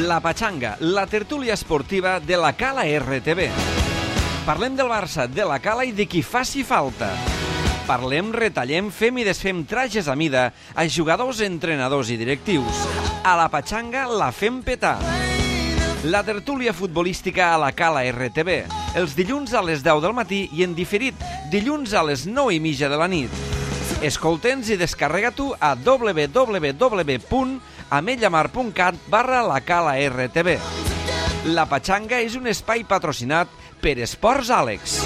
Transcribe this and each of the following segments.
La Pachanga, la tertúlia esportiva de la Cala RTV. Parlem del Barça, de la Cala i de qui faci falta. Parlem, retallem, fem i desfem trajes a mida a jugadors, entrenadors i directius. A la Pachanga la fem petar. La tertúlia futbolística a la Cala RTV. Els dilluns a les 10 del matí i en diferit dilluns a les 9:30 de la nit. Escolta'ns i descarrega-t'ho a www.ametlllamar.cat/la Cala RTV. La Pachanga és un espai patrocinat per Esports Àlex.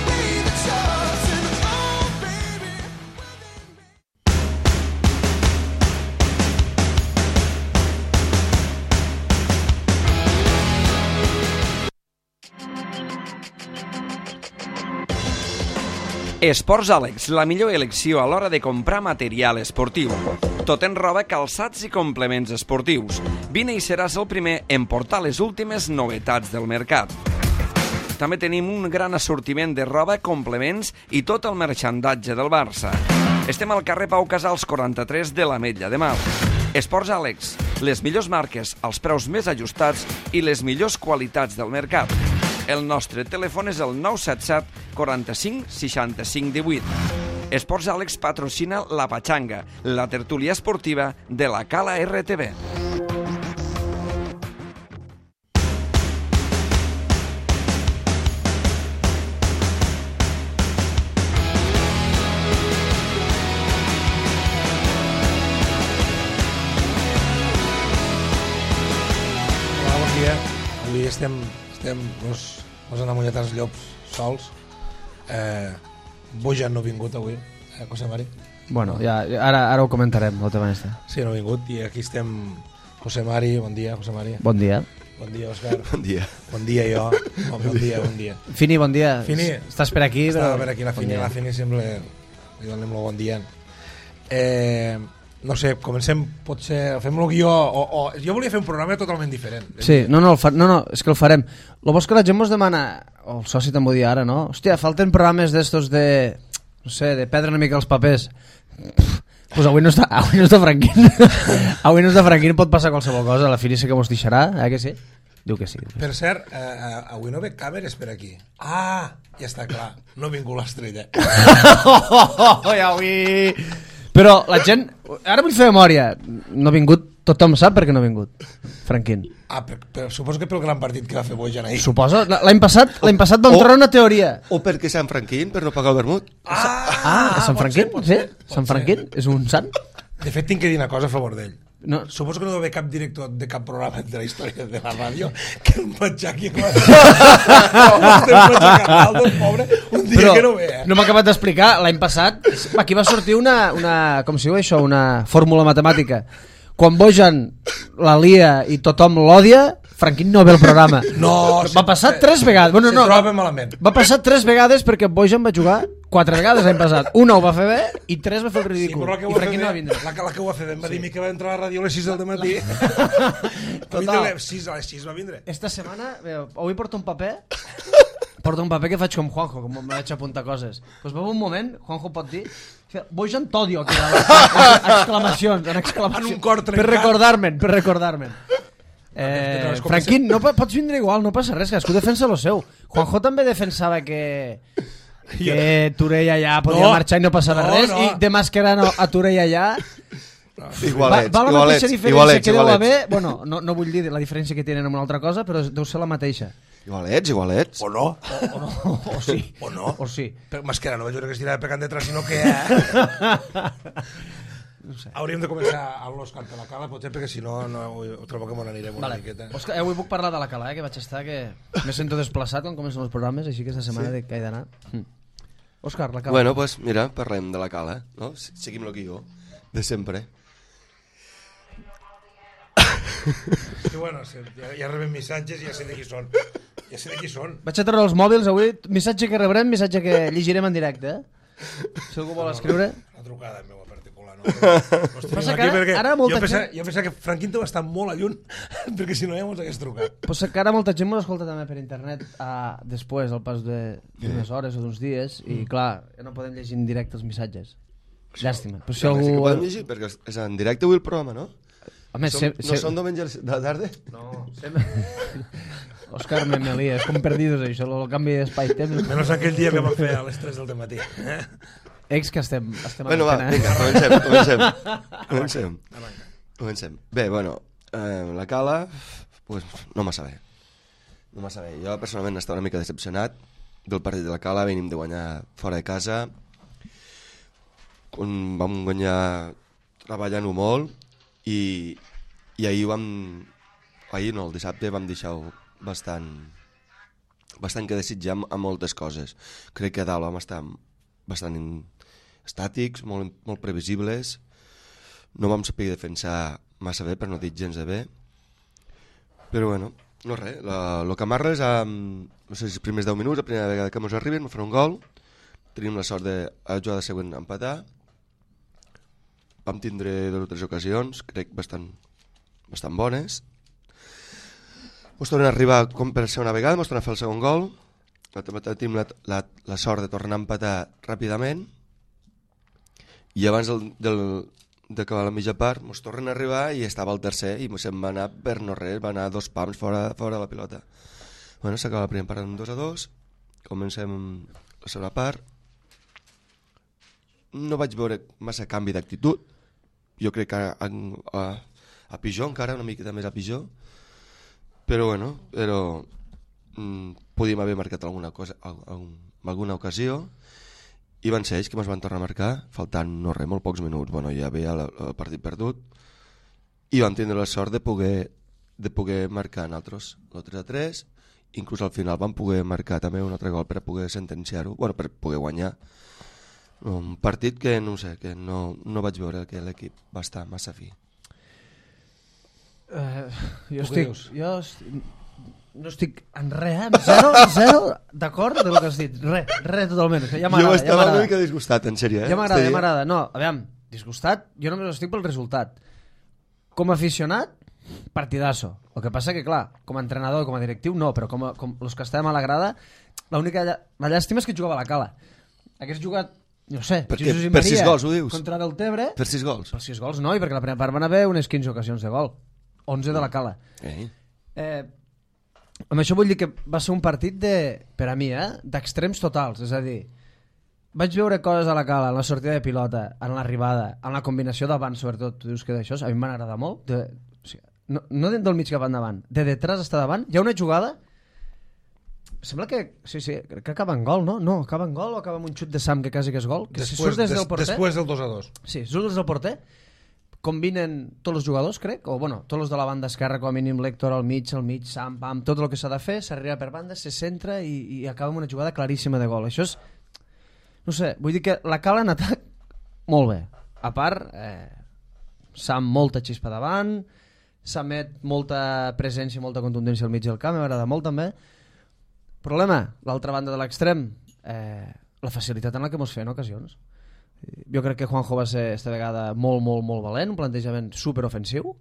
Esports Àlex, la millor elecció a l'hora de comprar material esportiu. Tot en roba, calçats i complements esportius. Vine i seràs el primer en portar les últimes novetats del mercat. També tenim un gran assortiment de roba, complements i tot el merxandatge del Barça. Estem al carrer Pau Casals 43 de l'Ametlla de Mar. Esports Àlex, les millors marques, els preus més ajustats i les millors qualitats del mercat. El nostre telèfon és el 977 45 65 18. Esports Àlex patrocina la Pachanga, la tertúlia esportiva de la Cala RTV. Hola, bon dia. Avui estem els enamollats els llops sols. Bojan no ha vingut avui, José Mari. Bueno, ja, ara ho comentarem, el tema este. Sí, no ha vingut i aquí estem José Mari, bon dia, José Mari. Bon dia. Bon dia, Òscar. Bon dia. Bon dia, jo. Bon dia. Fini, bon dia. Fini. Estàs per aquí? Estava per aquí, la Fini sempre li donem el bon dia. No sé, comencem, potser fem el guió o jo volia fer un programa totalment diferent. Sí, no, és que el farem. Lo bo és que la gent mos demana, o el soci també ho dia ara, no? Hòstia, falten programes d'estos de, no sé, de perdre una mica els papers. Pues avui no està Franquín. Avui no està Franquín, pot passar qualsevol cosa, la Fini sé que mos deixarà, que sí? Diu que sí. Per cert, avui no ve càmeres per aquí. Ah, ja està clar, no ha vingut l'estrella. Avui... Però la gent... Ara vull fer memòria. No ha vingut... Tothom sap per què no ha vingut. Franquín. Ah, però suposo que pel gran partit que va fer Bojan ahir. Suposo. L'any passat vam treure una teoria. O perquè Sant Franquín, per no pagar el vermut. Sant Franquín? Sí? Sant Franquín? És un sant? De fet, tinc que dir una cosa a favor d'ell. No. Suposo que no deu haver cap director de cap programa de la història de la ràdio que el matxaqui el pobre un dia que no ve. No m'ha acabat d'explicar. L'any passat aquí va sortir una com si diu això, una fórmula matemàtica. Quan Bojan la lia i tothom l'odia, Franquín no ve al programa. No, va passar 3 vegades. Bueno, no, troba malament. Va passar 3 vegades perquè Bojan va jugar 4 vegades l'any passat. Una ho va fer bé i 3 va fer el ridícul. Sí, I Franquín no va vindre. La que ho va fer bé em va dir que va entrar a la ràdio a les 6 del matí. Total. A les 6 va vindre. Esta setmana, avui porto un paper que faig com Juanjo, com em vaig apuntar coses. Doncs va un moment, Juanjo pot dir, Bojan t'odio, exclamacions. En un cor trencat. Per recordar-me'n. Franquín, no pots vindre igual, no passa res, cadascú defensa lo seu. Juanjo també defensava que Turell allà podia marxar i no passava res, i de masquerant a Turell allà va la mateixa diferència que deu haver. Bueno, no vull dir la diferència que tenen amb una altra cosa, però deu ser la mateixa. Igualets. O no. O sí. O sí. Però masquerant, no vaig veure que es tirava pecant detrás, sinó que... No sé. Hauríem de començar a l'Òscar de la Cala, potser, perquè si no ho trobo que me n'anirem una miqueta. Òscar, avui puc parlar de la Cala, que vaig estar, que me sento desplaçat quan comencen els programes, així que esta setmana que he d'anar. Òscar, la Cala. Bueno, pues mira, parlem de la Cala, no? Seguim el guió de sempre. Sí, bueno, ja rebem missatges i ja sé de qui són. Vaig a treure els mòbils avui, missatge que rebrem, missatge que llegirem en directe. Si algú vol escriure. Una trucada meva particular, no? Passa que ara molta gent... Jo pensava que Franquín deu estar molt a lluny, perquè si no ja mos hagués trucat. Passa que ara molta gent m'ho escolta també per internet després, al pas d'unes hores o d'uns dies, i clar, no podem llegir en directe els missatges. Llàstima. Però si Sí que algú... podem llegir, perquè és en directe avui el programa, no? Home, No són diumenges de tarda? No, Òscar Memelí, és com perdidos això, el canvi d'espai-temps. Menys aquell dia que vam fer a les 3 del matí. Ex que estem Bueno, va, vinga, comencem. Bé, bueno, la Cala, pues, no massa bé. Jo personalment estava una mica decepcionat del partit de la Cala, venim de guanyar fora de casa, vam guanyar treballant-ho molt i ahir el dissabte vam deixar-ho bastant que desitjar a moltes coses. Crec que a dalt vam estar bastant estàtics, molt previsibles, no vam saber defensar massa bé, per no dir gens de bé, però bueno, no res, el que amarra és no sé si els primers 10 minuts, la primera vegada que ens arriben, ens fan un gol, tenim la sort de a la jugada següent empatar, vam tindre 2 o 3 ocasions, crec bastant bones, ens tornen a arribar com per segona vegada, ens tornen a fer el segon gol, tenim la sort de tornar a empatar ràpidament i abans d'acabar la mitja part ens tornen a arribar i estava el tercer i se'n va anar per no res, va anar 2 pams fora de la pilota. Bueno, s'acaba la primera part amb 2-2, comencem la segona part, no vaig veure massa canvi d'actitud, jo crec que a pitjor encara, una miqueta més a pitjor, però bueno, podíem haver marcat alguna cosa, alguna ocasió, i van ser ells que ens van tornar a marcar, faltant no res, molt pocs minuts, bueno, ja veia el partit perdut, i vam tindre la sort de poder marcar nosaltres el 3-3, inclús al final vam poder marcar també un altre gol per a poder sentenciar-ho, bueno, per poder guanyar un partit que no sé, que no vaig veure que l'equip va estar massa fi. Jo no estic en res, zero d'acord del que has dit, res totalment. Ja jo estava una mica disgustat, en sèrio. Ja m'agrada. No, aviam, disgustat, jo només estic pel resultat. Com a aficionat, partidazo. El que passa que, clar, com a entrenador i com a directiu, no, però com els que estàvem a la grada, la llàstima és que jugava a la Cala. Hagués jugat, no sé, Jesús i Maria, per 6 gols, ho dius? Contra Deltebre. Per 6 gols? Per 6 gols no, i perquè la primera part van haver unes 15 ocasions de gol. 11 de la Cala. Amb això vull dir que va ser un partit per a mi, d'extrems totals, és a dir, vaig veure coses a la Cala, en la sortida de pilota, en l'arribada, en la combinació d'avant, sobretot, tu dius que d'això a mi m'han agradat molt, no del mig cap endavant, de detrás està davant, hi ha una jugada, sembla que, sí, crec que acaba en gol, no? No, acaba en gol o acaba amb un xut de Sam que quasi que és gol? Que després del 2-2. Sí, surt des del porter, combinen tots els jugadors, crec, o bueno, tots els de la banda esquerra, com a mínim l'Héctor al mig, Sam, pam, tot el que s'ha de fer, s'arriba per banda, se centra i acaba amb una jugada claríssima de gol. Això és, no sé, vull dir que la Cala en atac molt bé. A part, Sam molta xispa davant, Samet molta presència i molta contundència al mig del camp, m'agrada molt també. Problema, l'altra banda de l'extrem, la facilitat en la que mos feien ocasions. Jo crec que Juanjo va ser esta vegada molt valent, un plantejament superofensiu.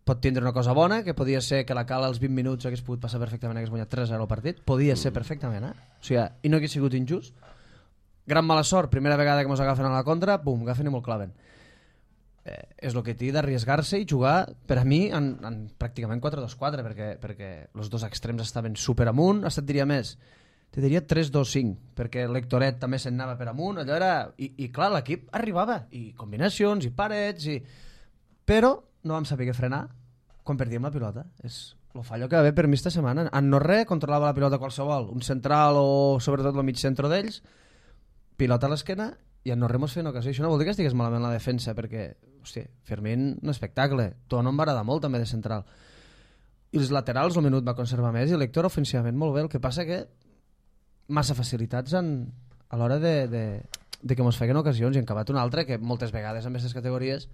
Pot tindre una cosa bona, que podia ser que la Cala als 20 minuts hagués pogut passar perfectament, hagués guanyat 3-0 el partit, podia ser perfectament, O sigui, i no hagués sigut injust. Gran mala sort, primera vegada que mos agafen a la contra, bum, agafen i molt claven. És el que té d'arriesgar-se i jugar, per a mi, en pràcticament 4-2-4, perquè els dos extrems estaven super amunt, hasta et diria més, te diria 3-2-5, perquè l'Hectoret també se'n anava per amunt, allò era... I clar, l'equip arribava, i combinacions, i parets, però no vam saber què frenar quan perdíem la pilota. És el fallo que va haver per mi esta setmana. En no res, controlava la pilota qualsevol, un central o sobretot el mig centre d'ells, pilota a l'esquena, i en no res mos feien ocasió. Això no vol dir que estigués malament la defensa, perquè, hòstia, Fermín, un espectacle. Tono em va agradar molt també de central. I els laterals, el minut va conservar més, i l'Hector ofensivament molt bé. El que passa que massa facilitats a l'hora de que mos feien ocasions, i en acabat una altra que moltes vegades en aquestes categories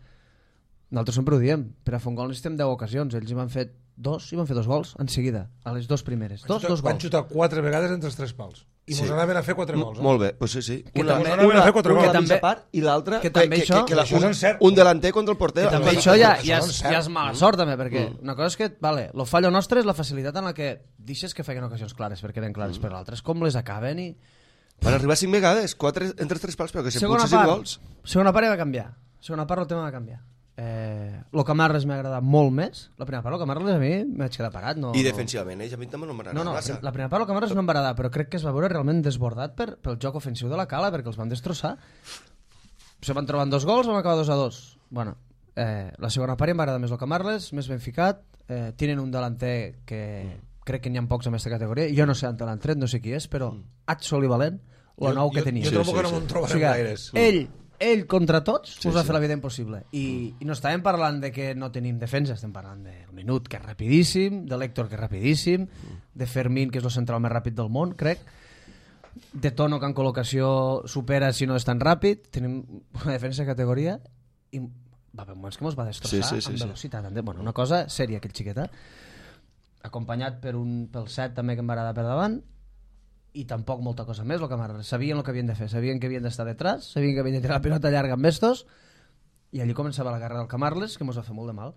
nosaltres sempre ho diem, per a fer un gol necessitem 10 ocasions, ells hi van fer 2 i van fer 2 gols en seguida, a les 2 primeres dos gols. Van xutar 4 vegades entre els 3 pals i mos anaven a fer 4 gols. Molt bé, pues sí. Una a fer 4 gols. Una part i l'altra que també un delanter contra el porter. Que també això ja és mala sort també, perquè una cosa és que el fallo nostre és la facilitat en la que deixes que feien ocasions clares, perquè eren clares, però l'altra és com les acaben i Van arribar 5 vegades, 4 entre 3 pals, però que se Segona potser 5 part. gols. Segona part va canviar. Segona part el tema va canviar. Lo Camarles m'ha agradat molt més. La primera part, lo Camarles a mi m'haig quedat parat. No, I defensivament, a mi també no m'agrada massa. La primera part, lo Camarles no em va agradar, però crec que es va veure realment desbordat pel joc ofensiu de la Cala, perquè els van destrossar. Se van trobar 2 gols, vam acabar 2-2. Bueno, la segona part em va agradar més lo Camarles, més ben ficat. Tenen un delanter que crec que n'hi ha pocs en aquesta categoria. Jo no sé on l'han tret, no sé qui és, però Atsol i Valent, lo nou que tenia. Jo trobo que no me'n trobarem gaires. Ell contra tots us va fer la vida impossible i no estàvem parlant de que no tenim defensa, estem parlant del Minut, que és rapidíssim, de l'Héctor, que és rapidíssim, de Fermín, que és el central més ràpid del món, crec, de Tono, que en col·locació supera si no és tan ràpid. Tenim una defensa de categoria i va haver moments que mos va destrossar amb velocitat. Bueno, una cosa sèria, aquell xiqueta, acompanyat pel set també, que em va agradar per davant, i tampoc molta cosa més. Sabien el que havien de fer, sabien que havien d'estar detrás, sabien que havien de tirar la pilota llarga amb estos, i allí començava la guerra del Camarles, que mos va fer molt de mal.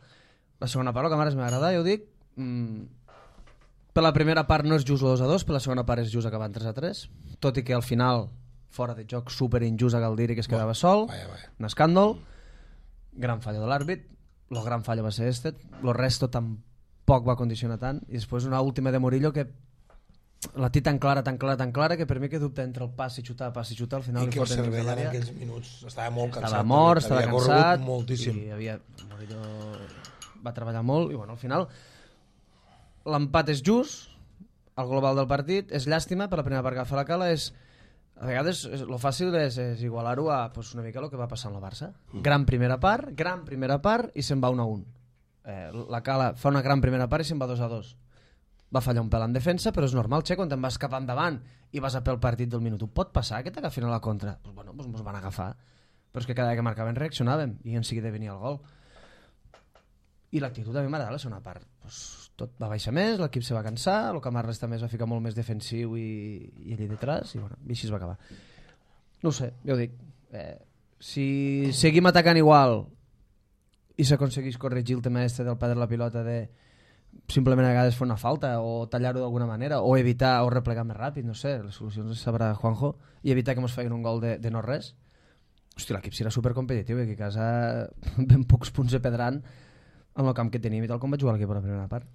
La segona part, el Camarles m'ha agradat, ja ho dic. Per la primera part no és just 2-2, per la segona part és just acabant 3-3, tot i que al final, fora de joc, super injust a Galdiri, que es quedava sol, un escàndol, gran fallo de l'àrbit, el gran fallo va ser el resto tampoc va condicionar tant, i després una última de Murillo que la té tan clara que per mi que dubta entre el pas i xutar, al final i que el cervell en aquells minuts estava molt cansat, estava mort, estava cansat moltíssim. I Murillo va treballar molt i bueno, al final l'empat és just, el global del partit és llàstima, per la primera part que fa la Cala és, a vegades el fàcil és igualar-ho a una mica el que va passar amb la Barça. Gran primera part i se'n va 1-1. La Cala fa una gran primera part i se'n va 2-2. Va fallar un pèl en defensa, però és normal, Che, quan te'n vas cap endavant i vas a pel partit del minut. Pot passar que t'agafin a la contra? Bueno, ens van agafar. Però és que cada vegada que marcaven reaccionàvem i en seguida venia el gol. I l'actitud a mi m'agrada la segona part. Tot va baixar més, l'equip se va cansar, el Camarles també es va ficar molt més defensiu i allà detrás, i bueno, i així es va acabar. No ho sé, ja ho dic. Si seguim atacant igual i s'aconseguís corregir el tema del perdre la pilota de simplement a vegades fer una falta o tallar-ho d'alguna manera o evitar o replegar més ràpid, no sé, les solucions les sabrà Juanjo, i evitar que ens facin un gol de no res. Hòstia, l'equip serà supercompetitiu i aquí a casa ben pocs punts de pedran amb el camp que tenim i tal com vaig jugar l'equip a la primera part.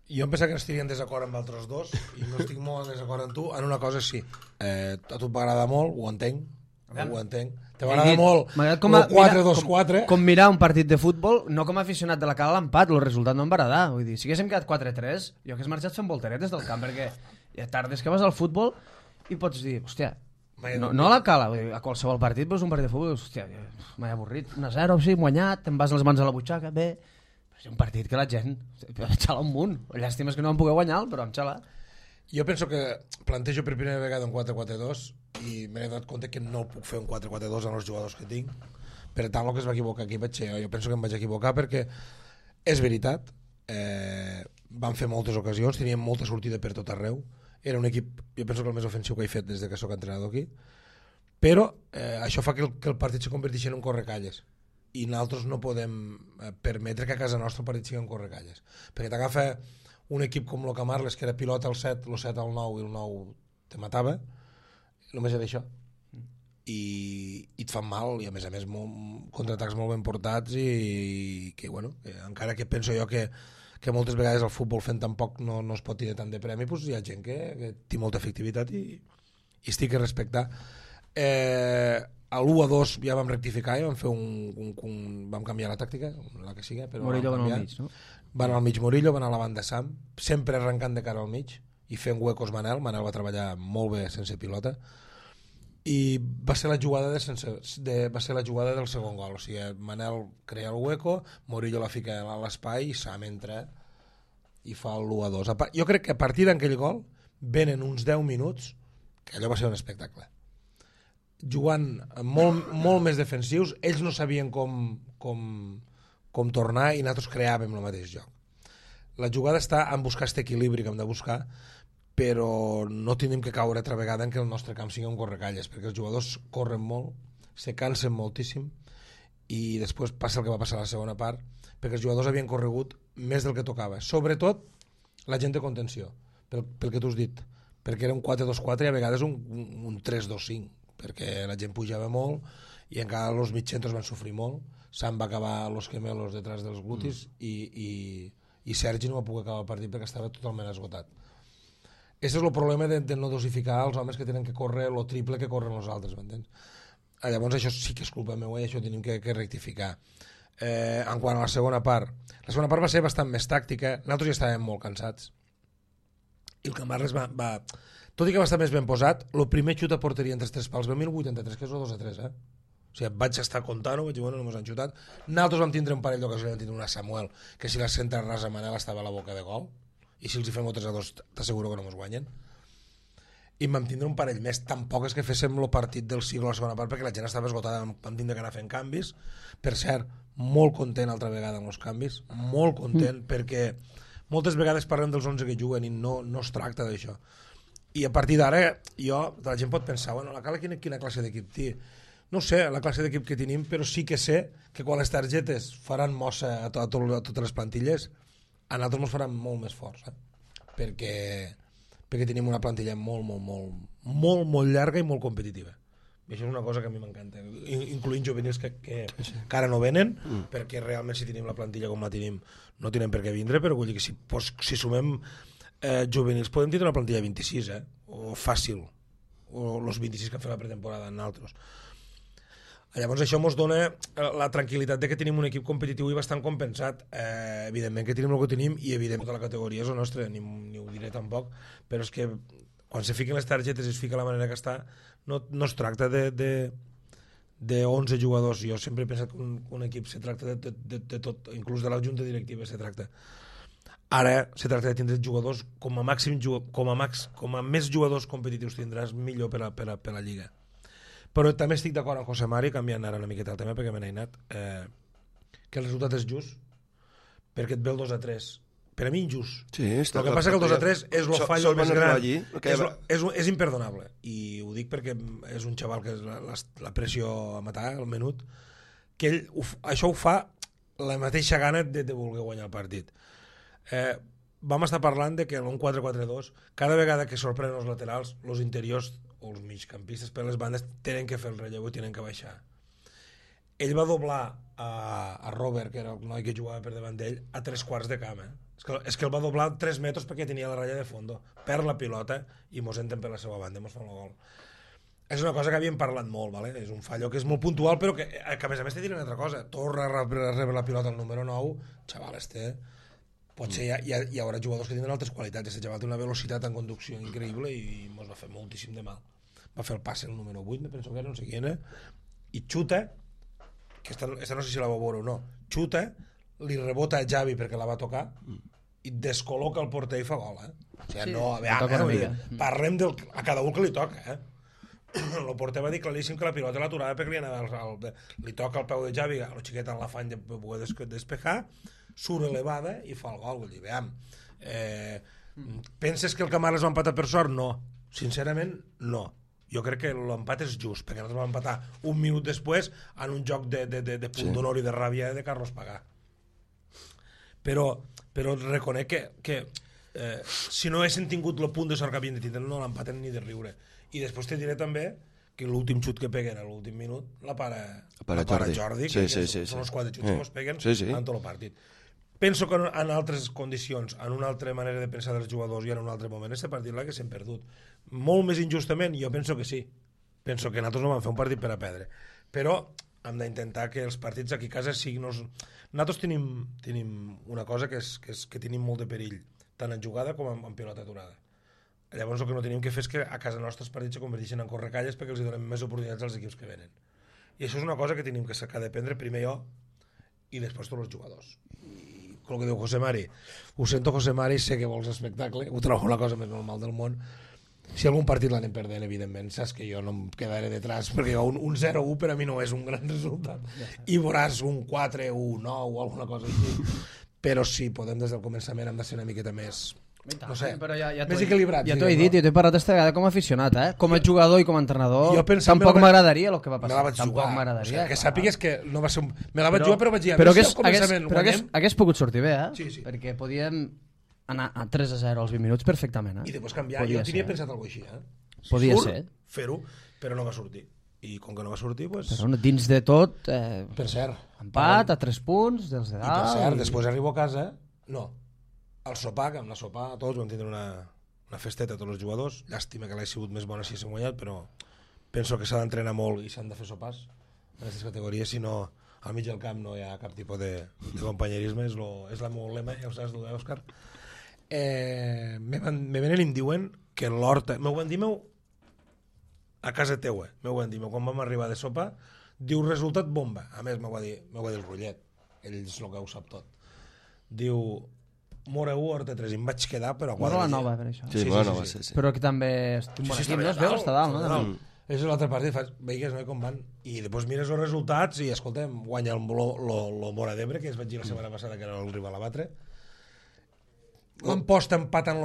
Jo em pensava que estaria en desacord amb altres dos i no estic molt en desacord amb tu en una cosa sí, a tu et va agradar molt, ho entenc. Te va agradar molt el 4-2-4 com mirar un partit de futbol, no com a aficionat de la Cala a l'empat, el resultat no em va agradar. Vull dir, si haguéssim quedat 4-3 jo hagués marxat fent volteretes del camp, perquè hi ha tardes que vas al futbol i pots dir, hòstia, no a la Cala, vull dir, a qualsevol partit veus un partit de futbol, hòstia, m'he avorrit, 1-0, sí, hem guanyat, te'n vas les mans a la butxaca, bé, però és un partit que la gent xala un munt. Llàstima és que no vam poder guanyar, però vam xalar. Jo penso que plantejo per primera vegada un 4-4-2 i m'he donat compte que no puc fer un 4-4-2 amb els jugadors que tinc. Per tant, el que es va equivocar aquí vaig ser jo penso que em vaig equivocar perquè és veritat, van fer moltes ocasions, teníem molta sortida per tot arreu, era un equip, jo penso que el més ofensiu que he fet des que soc entrenador aquí, però això fa que el partit se converteixi en un correcalles i nosaltres no podem permetre que a casa nostra el partit sigui un correcalles, perquè t'agafa un equip com el Camarles, que era pilota al 7, el 7 al 9 i el 9 te matava, només era això. I et fan mal, i a més contraatacs molt ben portats i que, bueno, encara que penso jo que moltes vegades el futbol fent tan poc no es pot tenir tant de premi, doncs hi ha gent que té molta efectivitat i estic a respectar. A l'1-2 ja vam rectificar i vam fer vam canviar la tàctica, la que sigui, però Murillo van al mig, no? Van al mig Murillo, van a la banda Sam, sempre arrencant de cara al mig i fent huecos Manel va treballar molt bé sense pilota i va ser la jugada va ser la jugada del segon gol, o sigui, Manel crea el hueco, Murillo la fica a l'espai i Sam entra i fa el 1-2. Jo crec que a partir d'aquell gol venen uns 10 minuts que allò va ser un espectacle, jugant molt més defensius, ells no sabien com tornar i nosaltres creàvem el mateix joc. La jugada està en buscar aquest equilibri que hem de buscar, però no tenim que caure altra vegada en que el nostre camp sigui un correcalles, perquè els jugadors corren molt, se cansen moltíssim i després passa el que va passar a la segona part, perquè els jugadors havien corregut més del que tocava, sobretot la gent de contenció, pel que tu has dit, perquè era un 4-2-4 i a vegades un 3-2-5, perquè la gent pujava molt i encara els mitjentros van sofrir molt. Sam va acabar los gemelos detrás dels glutis i Sergi no va poder acabar el partit perquè estava totalment esgotat. Aquest és el problema de no dosificar els homes que tenen que córrer el triple que corren els altres, m'entens? Llavors això sí que és culpa meva i això tenim que rectificar. En quant a la segona part va ser bastant més tàctica. Nosaltres ja estàvem molt cansats i el Camarles va tot i que va estar més ben posat, el primer xut a porteria entre els tres pals va a 1083, que és el 2-3, o sigui, vaig estar comptant-ho, vaig dir, bueno, no mos han xutat. Nosaltres vam tindre un parell d'ocasions, vam tindre una Samuel, que si la centra rasa Manel estava a la boca de gol, i si els hi fem 3-2 t'asseguro que no mos guanyen. I vam tindre un parell més, tampoc és que féssim el partit del siglo a la segona part, perquè la gent estava esgotada, vam tindre que anar fent canvis. Per cert, molt content altra vegada amb els canvis, molt content, perquè moltes vegades parlem dels 11 que juguen i no es tracta d'això. I a partir d'ara, la gent pot pensar, bueno, la Cala quina classe d'equip té? No sé la classe d'equip que tenim, però sí que sé que quan les targetes faran mossa a totes les plantilles, a nosaltres ens faran molt més forts, perquè tenim una plantilla molt llarga i molt competitiva. I això és una cosa que a mi m'encanta, incloent juvenils que ara no venen, perquè realment si tenim la plantilla com la tenim no tenen per què vindre, però vull dir que si sumem juvenils podem tindre una plantilla 26, o fàcil, o els 26 que han fet la pretemporada en altres. Llavors això ens dona la tranquil·litat de que tenim un equip competitiu i bastant compensat. Evidentment que tenim el que tenim i evidentment tota la categoria és la nostra, ni ho diré tampoc, però és que quan se fiquen les targetes i es fica la manera que està, no es tracta de 11 jugadors. Jo sempre he pensat que un equip se tracta de tot, inclús de la junta directiva se tracta. Ara se tracta de tindre jugadors com a més jugadors competitius tindràs, millor per a la Lliga. Però també estic d'acord amb José Mari, canviant ara una miqueta el tema perquè me n'he anat, que el resultat és just, perquè et ve el 2-3. Per a mi injust. Sí, el que passa que el 2-3 és el fallo més gran, és imperdonable, i ho dic perquè és un xaval que és la pressió a matar, el menut, que ell això ho fa la mateixa gana de voler guanyar el partit. Vam estar parlant de que en un 4-4-2 cada vegada que sorprenen els laterals, els interiors o els migcampistes per les bandes tenen que fer el relleu i tenen que baixar. Ell va doblar a Robert, que era el noi que jugava per davant d'ell, a 3/4 de camp. És que el va doblar 3 metres perquè tenia la ratlla de fondo, perd la pilota i mos entren per la seva banda i mos fan el gol. És una cosa que havíem parlat molt, ¿vale? És un fallo que és molt puntual, però que a més te diré una altra cosa. Torna a rebre la pilota al número 9, xaval, potser hi haurà jugadors que tindran altres qualitats. Aquest xaval té una velocitat en conducció increïble i ens va fer moltíssim de mal. Va fer el passe el número 8, me penso que era, no sé qui era, i xuta, que esta no sé si la va veure o no, xuta, li rebota a Javi perquè la va tocar i descol·loca el porter i fa gol. O sigui, no, parlem a cada un que li toca. El porter va dir claríssim que la pilota l'aturava perquè li toca el peu de Javi, el xiquet en l'afany de poder despejar, surt elevada i fa el gol. Vull dir, veiem, penses que el Camarles va empatar per sort? No, sincerament no. Jo crec que l'empat és just, perquè nosaltres vam empatar un minut després en un joc de punt d'honor i de ràbia de Carlos Pagà. Però reconec que si no haguessin tingut el punt de sort que havien de tindre, no l'empaten ni de riure. I després te diré també que l'últim xut que peguen a l'últim minut la para Jordi, que són els 4 xuts que es peguen en tot el partit. Penso que en altres condicions, en una altra manera de pensar dels jugadors i en un altre moment, aquest partit l'haguéssim perdut. Molt més injustament? Jo penso que sí. Penso que nosaltres no vam fer un partit per a perdre. Però hem d'intentar que els partits aquí a casa siguin... Nosaltres tenim una cosa que és que tenim molt de perill, tant en jugada com en pilota aturada. Llavors el que no tenim que fer és que a casa nostra els partits se converteixen en correcalles perquè els donem més oportunitats als equips que venen. I això és una cosa que tenim que sacar de prendre primer jo i després tots els jugadors. El que diu José Mari, ho sento José Mari, sé que vols espectacle, ho trobo la cosa més normal del món. Si algun partit l'anem perdent, evidentment, saps que jo no em quedaré detrás, perquè un 0-1 per a mi no és un gran resultat, i veuràs un 4-1, 9 o alguna cosa així, però sí, podem des del començament hem de ser una miqueta més, no sé, més equilibrat. Ja t'ho he dit, jo t'he parlat aquesta vegada com a aficionat, com a jugador i com a entrenador, tampoc m'agradaria el que va passar. Tampoc m'agradaria. Que sàpigues que no va ser me la vaig jugar, però vaig dir, a veure si al començament guanyem. Hagués pogut sortir bé, perquè podíem anar a 3-0 als 20 minuts perfectament. I després canviar. Jo tenia pensat alguna cosa així. Si Podia surt, ser. fer-ho, però no va sortir. I com que no va sortir, doncs... Però dins de tot, Per cert. empat a 3 punts dels de I dalt. per cert, després arribo a casa... No, al sopar, que amb la sopar tots vam tindre una festeta a tots els jugadors. Llàstima que l'hagi sigut més bona si s'ha guanyat, però penso que s'ha d'entrenar molt i s'han de fer sopars en aquestes categories, si no al mig del camp no hi ha cap tipus de companyerisme, és el meu lema, ja ho saps tu, Òscar. Me venen i em diuen que l'Horta... M'ho van dir a casa teua, m'ho van dir quan vam arribar de sopa, diu resultat bomba. A més, m'ho va dir el Rullet, ell és el que ho sap tot. Diu Mora 1, Horta 3, i em vaig quedar, però... Mora la nova, per això. Sí, Mora nova, sí. Però que també és un bon equip, no? Es veu, està dalt, no? És l'altra part, i fas, veigues, no?, com van. I després mires els resultats i, escolta'm, guanya el Mora d'Ebre, que es vaig dir la setmana passada que era el rival a batre. L'emposta empat en...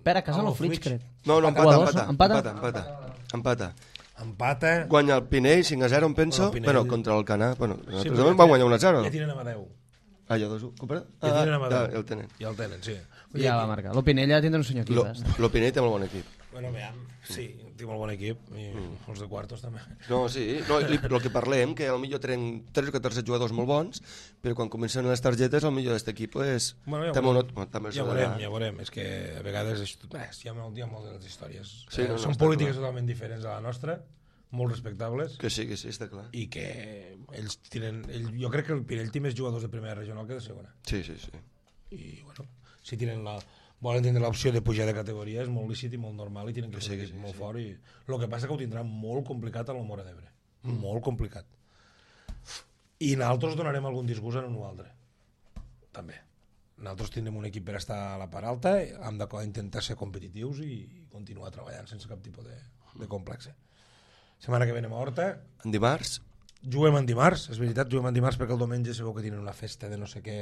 Per a casa no Flix, crec. No, empata. Empata. Guanya el Pinell 5-0, em penso, però contra el Canà. Bueno, Sí, nosaltres vam guanyar 1-0. Ja tenen Amadeu. Ja 2-1. Compara? Ja tenen Amadeu. Ja el tenen. Ja el tenen, sí. Ja va marcar. L'Opinella tindrà un senyor equip. L'Opinell té molt bon equip. Bueno, veiem, sí, té molt bon equip, i els de quartos també. No, sí, no, el que parlem, que potser tenen 3 o 14 jugadors molt bons, però quan comencen les targetes, el millor d'aquest equip és... Bueno, ja veurem, és que a vegades hi ha molt de les històries. Sí, són polítiques totalment diferents a la nostra, molt respectables. Que sí, està clar. I que ells tenen... Jo crec que el Pinell té més jugadors de primera regional que de segona. Sí. I, bueno, si volen tindre l'opció de pujar de categoria, és molt lícit i molt normal, i tenen que ser molt fort. I el que passa que ho tindrà molt complicat a la Mora d'Ebre. Molt complicat. I nosaltres donarem algun disgust en un o altre. També. Nosaltres tindrem un equip per estar a la part alta, hem d'intentar ser competitius i continuar treballant sense cap tipus de complexe. Setmana que venim a Horta. En dimarts? Juguem en dimarts, és veritat, juguem en dimarts perquè el diumenge sabeu que tenen una festa de no sé què,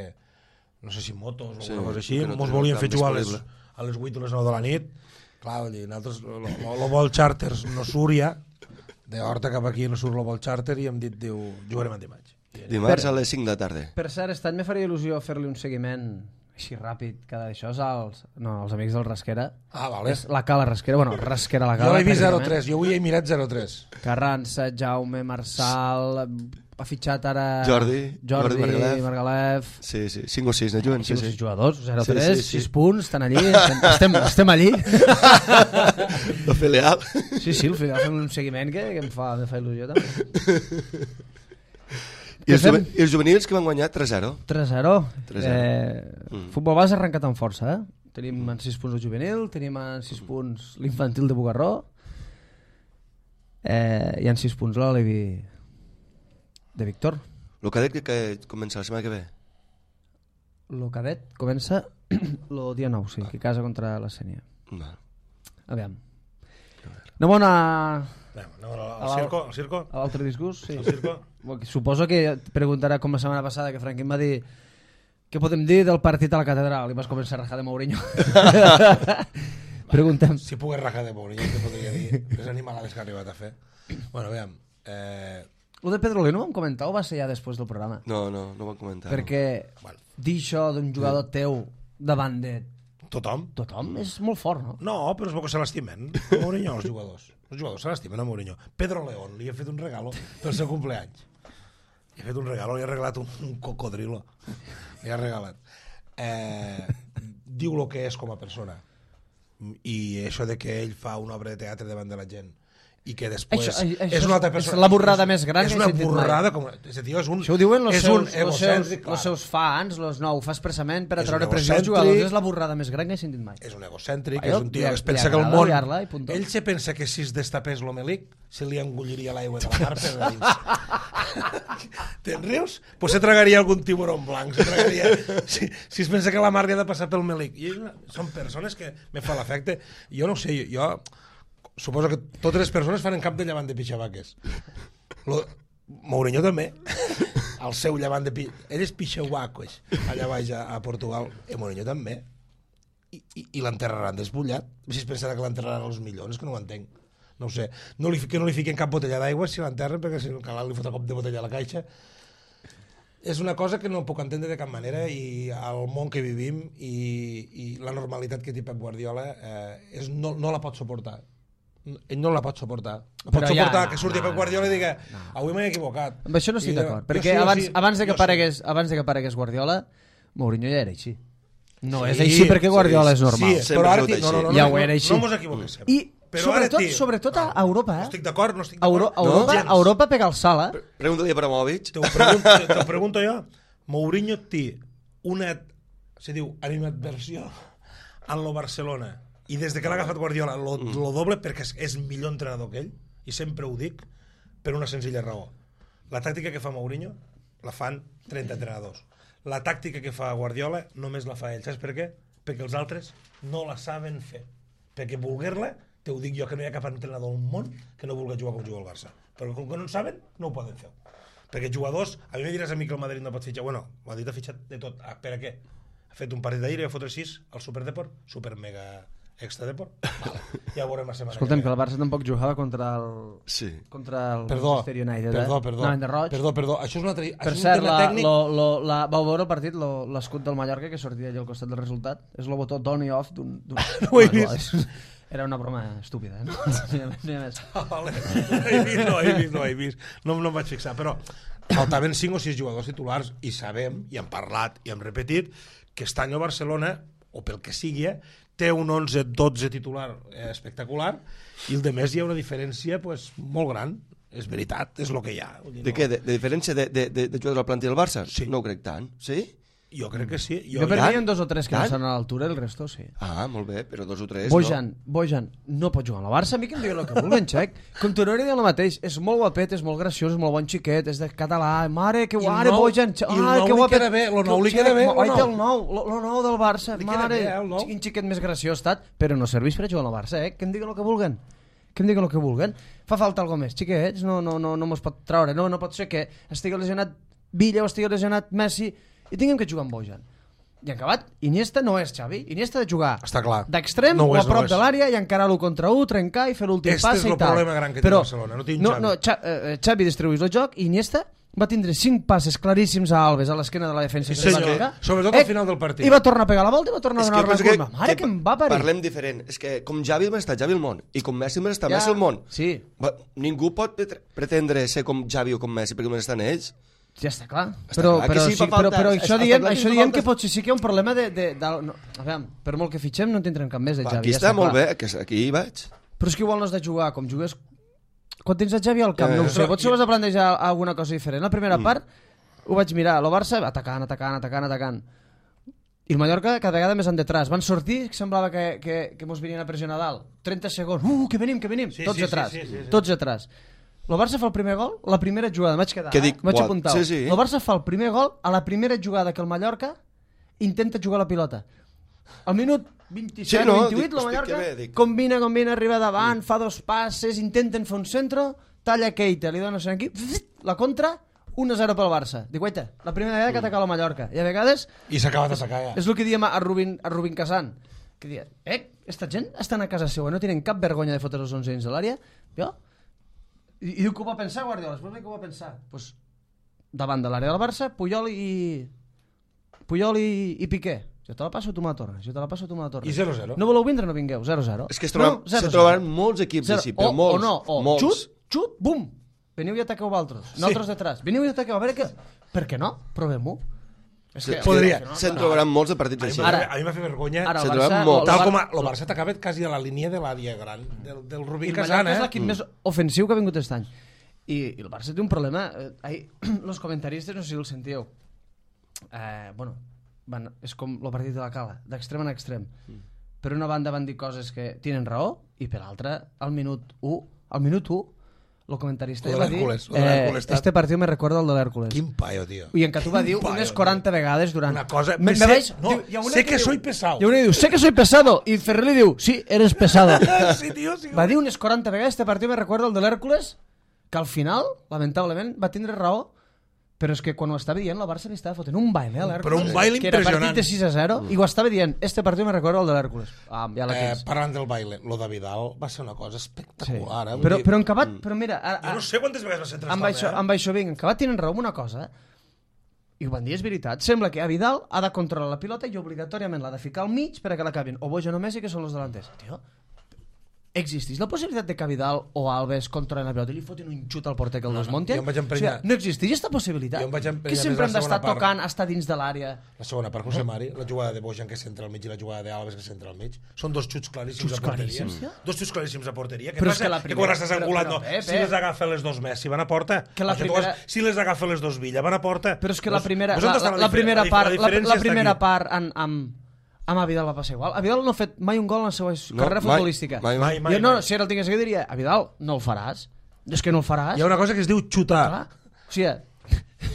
no sé si motos o alguna cosa així, ens volien fer jugar a les 8 o les 9 de la nit. Clar, nosaltres, el vol charter no surt ja, de Horta cap aquí no surt el vol charter, i hem dit, jugarem en dimarts. Dimarts a les 5 de la tarda. Per cert, aquest any me faria il·lusió fer-li un seguiment així ràpid, cada d'això als amics del Rasquera. Ah, vale. És la Cala Rasquera, bueno, Rasquera la Cala. Jo l'he vist 0-3, jo avui he mirat 0-3. Carranza, Jaume, Marçal, ha fitxat ara... Jordi Margalef. Sí, 5 o 6, no juguen? 5 o 6 jugadors, 0-3, 6 punts, estan allí, estem allí. El filial. Sí, el filial fem un seguiment que em fa il·lusió també. I els juvenils que van guanyar 3-0. 3-0. Futbol base ha arrencat amb força, Tenim en 6 punts el juvenil, tenim en 6 punts l'infantil de Bugarró, i en 6 punts l'Alevi de Víctor. El cadet que comença la setmana que ve? El cadet comença el dia 9, sí, que casa contra la Sènia. Aviam. No bona... Al circo? A l'altre disgust, sí. Al circo? Suposo que preguntarà com la setmana passada que Franquín va dir què podem dir del partit a la catedral i vas començar a rajar de Mourinho. Preguntem. Si pogués rajar de Mourinho, què podria dir? Les animalades que ha arribat a fer. Bueno, veiem. Lo de Pedrolé no ho vam comentar o va ser ja després del programa? No ho vam comentar. Perquè dir això d'un jugador teu davant de... Tothom és molt fort, no? No, però és bo que se l'estimen. Mourinho, els jugadors se l'estimen a Mourinho. Pedro León li ha fet un regalo pel seu cumpleaños. Li ha fet un regalo, li ha regalat un cocodrilo. Li ha regalat. Diu el que és com a persona. I això de que ell fa una obra de teatre davant de la gent i que després és una altra persona. És la borrada més gran que he sentit mai. És una borrada, com... Això ho diuen els seus fans, no, ho fa expressament per atreure pressió als jugadors. És la borrada més gran que he sentit mai. És un egocèntric, és un tio que es pensa que el món... Ell se pensa que si es destapés l'Omelic se li engulliria l'aigua de la mar per dins. Te'n rius? Pues se tragaria algun tiburón blanc. Si es pensa que la mar li ha de passar pel Melic. Són persones que me fa l'efecte. Jo no ho sé, jo... Suposo que totes les persones fan en cap de llevant de pixabaques. Mourinho també. El seu llevant de pixabaques. Ell és pixabaques allà baix a Portugal. Mourinho també. I l'enterraran despullat. Si es pensarà que l'enterraran als milions, que no ho entenc. No ho sé. Que no li fiquen cap botella d'aigua si l'enterren, perquè si no cal li fotrà cop de botella a la caixa. És una cosa que no puc entendre de cap manera i el món que vivim i la normalitat que té Pep Guardiola no la pot suportar. Ell no la pot suportar. Pot suportar que surti Pep Guardiola i digui avui m'he equivocat. Amb això no estic d'acord, perquè abans de que aparegués Guardiola, Mourinho ja era així. No és així perquè Guardiola és normal. Sí, però ara ja ho era així. No mos equivoquem. I sobretot a Europa, no estic d'acord, no estic d'acord. Europa pega el salt, Pregunta-li a Abramovich. Te ho pregunto jo. Mourinho té una, se diu, animadversió en lo Barcelona i des de que l'ha agafat Guardiola lo doble perquè és millor entrenador que ell i sempre ho dic per una senzilla raó. La tàctica que fa Mourinho la fan 30 entrenadors. La tàctica que fa Guardiola només la fa ell. Saps per què? Perquè els altres no la saben fer. Perquè voler-la, te ho dic jo, que no hi ha cap entrenador al món que no vulgui jugar com juga el Barça. Però com que no en saben, no ho poden fer. Perquè jugadors, a mi me diràs a mi que el Madrid no pot fitxar. Bueno, el Madrid ha fitxat de tot. Per a què? Ha fet un partit d'ahir i va fotre 6 al Superdeport, super mega extra deport. Vale. Ja ho veurem la setmana. Escolta'm, que el Barça tampoc jugava contra el Manchester United. Perdó. Això és una per cert, vau veure el partit, l'escut del Mallorca que sortia allà al costat del resultat? És el botó on i off d'un... No ho he vist. Era una broma estúpida, no? Vale. No he vist. No em vaig fixar, però faltaven 5 o 6 jugadors titulars i sabem, i hem parlat i hem repetit, que aquest any a Barcelona, o pel que sigui, té un 11-12 titular espectacular i el de més hi ha una diferència molt gran. És veritat, és el que hi ha. De què? De diferència de jugadors al plantilla del Barça? Sí. No ho crec tant. Sí? Jo crec que sí. Jo per mi hi ha 2 o 3 que no estan a l'altura, el resto sí. Ah, molt bé, però 2 o 3 Bojan no pot jugar a la Barça, a mi que em digui el que vulguen, Xec. Com tu no era el mateix, és molt guapet, és molt graciós, és molt bon xiquet, és de català, mare, que guare, Bojan, que guapet. El nou li queda bé, el nou del Barça, mare, quin xiquet més graciós estat, però no serveix per a jugar a la Barça, que em digui el que vulguen. Fa falta alguna més, xiquets, no mos pot traure, no pot ser que estigui lesionat Villa o estigui lesionat Messi i tinguem que jugar amb Bojan. I en acabat, Iniesta no és Xavi. Iniesta ha de jugar d'extrem o a prop de l'àrea i encarar l'1 contra 1, trencar i fer l'últim pas i tal. Este és el problema gran que té Barcelona, no tinc Xavi. Xavi distribueix el joc i Iniesta va tindre 5 passes claríssims a Alves a l'esquena de la defensa. Sobretot al final del partit. I va tornar a pegar la volta i va tornar a donar la curva. Mare, que em va parir. Parlem diferent. És que com Xavi m'està Xavi al món i com Messi m'està Messi al món. Sí. Ningú pot pretendre ser com Xavi o com Messi perquè m'estan ells. Ja està clar, però això diem que potser sí que hi ha un problema a veure, per molt que fitxem no en tindrem cap més de Xavi. Aquí està molt bé, aquí hi vaig. Però és que igual no has de jugar com jugues quan tens el Xavi al camp, no ho sé, potser vas a plantejar alguna cosa diferent. La primera part ho vaig mirar, el Barça atacant i el Mallorca cada vegada més en detrás, van sortir, semblava que mos venien a pressionar a dalt, 30 segons, que venim, tots atrás. El Barça fa el primer gol, la primera jugada, vaig apuntar. El Barça fa el primer gol a la primera jugada que el Mallorca intenta jugar la pilota. Al minut 27-28, el Mallorca combina, arriba davant, fa 2 passes, intenten fer un centre, talla Keita, li dona aquí, la contra, 1-0 pel Barça. Dic, guaita, la primera vegada que ataca la Mallorca. I a vegades... I s'ha acabat d'atacar, ja. És el que diem a Rubin Kazan, que dia, esta gent estan a casa seva, no tenen cap vergonya de fotre els 11 dins de l'àrea, jo... I diu que ho va pensar Guardiola, després que ho va pensar pues, davant de l'àrea del Barça Puyol i Piqué, jo te la passo, tu me la tornes i 0-0 no voleu vindre, no vingueu, 0-0 és que se trobaran molts equips així, però molts xut, bum, veniu i ataqueu vosaltres nosaltres detrás, veniu i ataqueu, a veure què per què no, provem-ho. Se'n trobaran molts de partits així. A mi m'ha fet vergonya. Tal com el Barça atacava quasi a la línia de l'àrea gran del Rubí Kazan. És l'equip més ofensiu que ha vingut aquest any. I el Barça té un problema. Els comentaristes, no sé si el sentíeu, és com el partit de la Cala, d'extrem en extrem. Per una banda van dir coses que tenen raó i per l'altra, al minut 1, el comentarista va dir este partido me recuerda al de l'Hércules. Quin paio, tio. I en Catú va dir unes 40 vegades durant... Una cosa... sé que soy pesado. I una diu, sé que soy pesado. I Ferrer li diu, sí, eres pesado. Sí, tio, sí. Va dir unes 40 vegades este partido me recuerda al de l'Hércules, que al final, lamentablement, va tindre raó, però és que quan ho estava dient, la Barça li estava fotent un baile a l'Hércules. Però un baile impressionant. Que era partit de 6-0, i ho estava dient, este partido me recuerda al de l'Hércules. Ja la tens. Parlant del baile, lo de Vidal va ser una cosa espectacular. Sí. Però en acabat, però mira... Jo no sé quantes vegades va ser trastat. Amb això vinc, en acabat tenen raó una cosa. I quan és veritat, sembla que a Vidal ha de controlar la pilota i obligatòriament l'ha de ficar al mig per a que l'acabin o Bojan o Messi, que són els delanters. Tio, existeix la possibilitat de que Vidal o Alves controlin la pilota i li fotin un xut al porter que el desmunten? Jo em vaig emprenyar. O sigui, no existeix aquesta possibilitat. Jo em vaig emprenyar Que sempre més hem la d'estar segona part. tocant, estar dins de l'àrea. La segona part, José Mari, la jugada de Bojan que centra al mig i la jugada d'Alves que centra al mig. Són dos xuts claríssims a porteria. claríssims, ja? Dos xuts claríssims a porteria. Què Però és passa? que la Que primera- quan estàs enculat, però, no. Pep, Si les agafa les dos Messi, van a porta. Que la Això tu primera- Si les agafa les dos Villa, van a porta. Però és que la primera, Pues on està la primera part, diferència la primera està aquí. part amb Vidal va passar igual. A Vidal no ha fet mai un gol en la seva carrera mai, futbolística. mai. Jo no, si ara el tingués aquí diria, a Vidal no el faràs. És que no el faràs. Hi ha una cosa que es diu xutar. Clar. O sigui,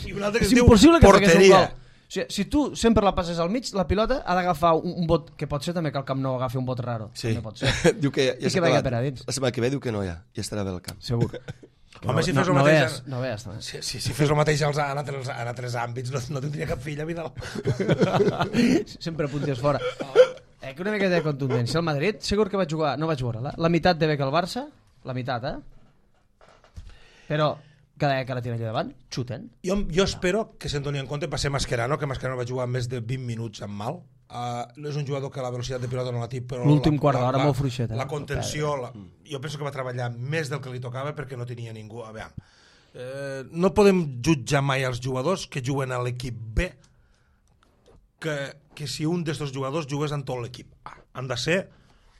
I una altra que és es diu impossible que facis un porteria. gol. O sigui, si tu sempre la passes al mig, la pilota ha d'agafar un bot, que pot ser també que el Camp Nou agafi un bot raro. Sí. També pot ser. Diu que I que vagi per a dins. La setmana que ve diu que no hi ha, ja estarà bé el camp. Segur. Home, si fes el no mateix... veus, no veus, també. Si fes el mateix en altres àmbits, no tindria cap filla, Vidal. Sempre punties fora. Que una mica de contundència. El Madrid, segur que vaig jugar, no vaig veure-la, la meitat de bé que el Barça, la meitat, Però cada vegada que la tiren allà davant, xuten. Jo espero que se'n doni en compte, va ser Mascherano, que Mascherano va jugar més de 20 minuts amb mal. És un jugador que la velocitat de pilota no la té, però L'últim quart d'hora molt fluixet. La contenció, jo penso que va treballar més del que li tocava perquè no tenia ningú. A veure, no podem jutjar mai els jugadors que juguen a l'equip B que si un d'estos jugadors jugués en tot l'equip A. Han de ser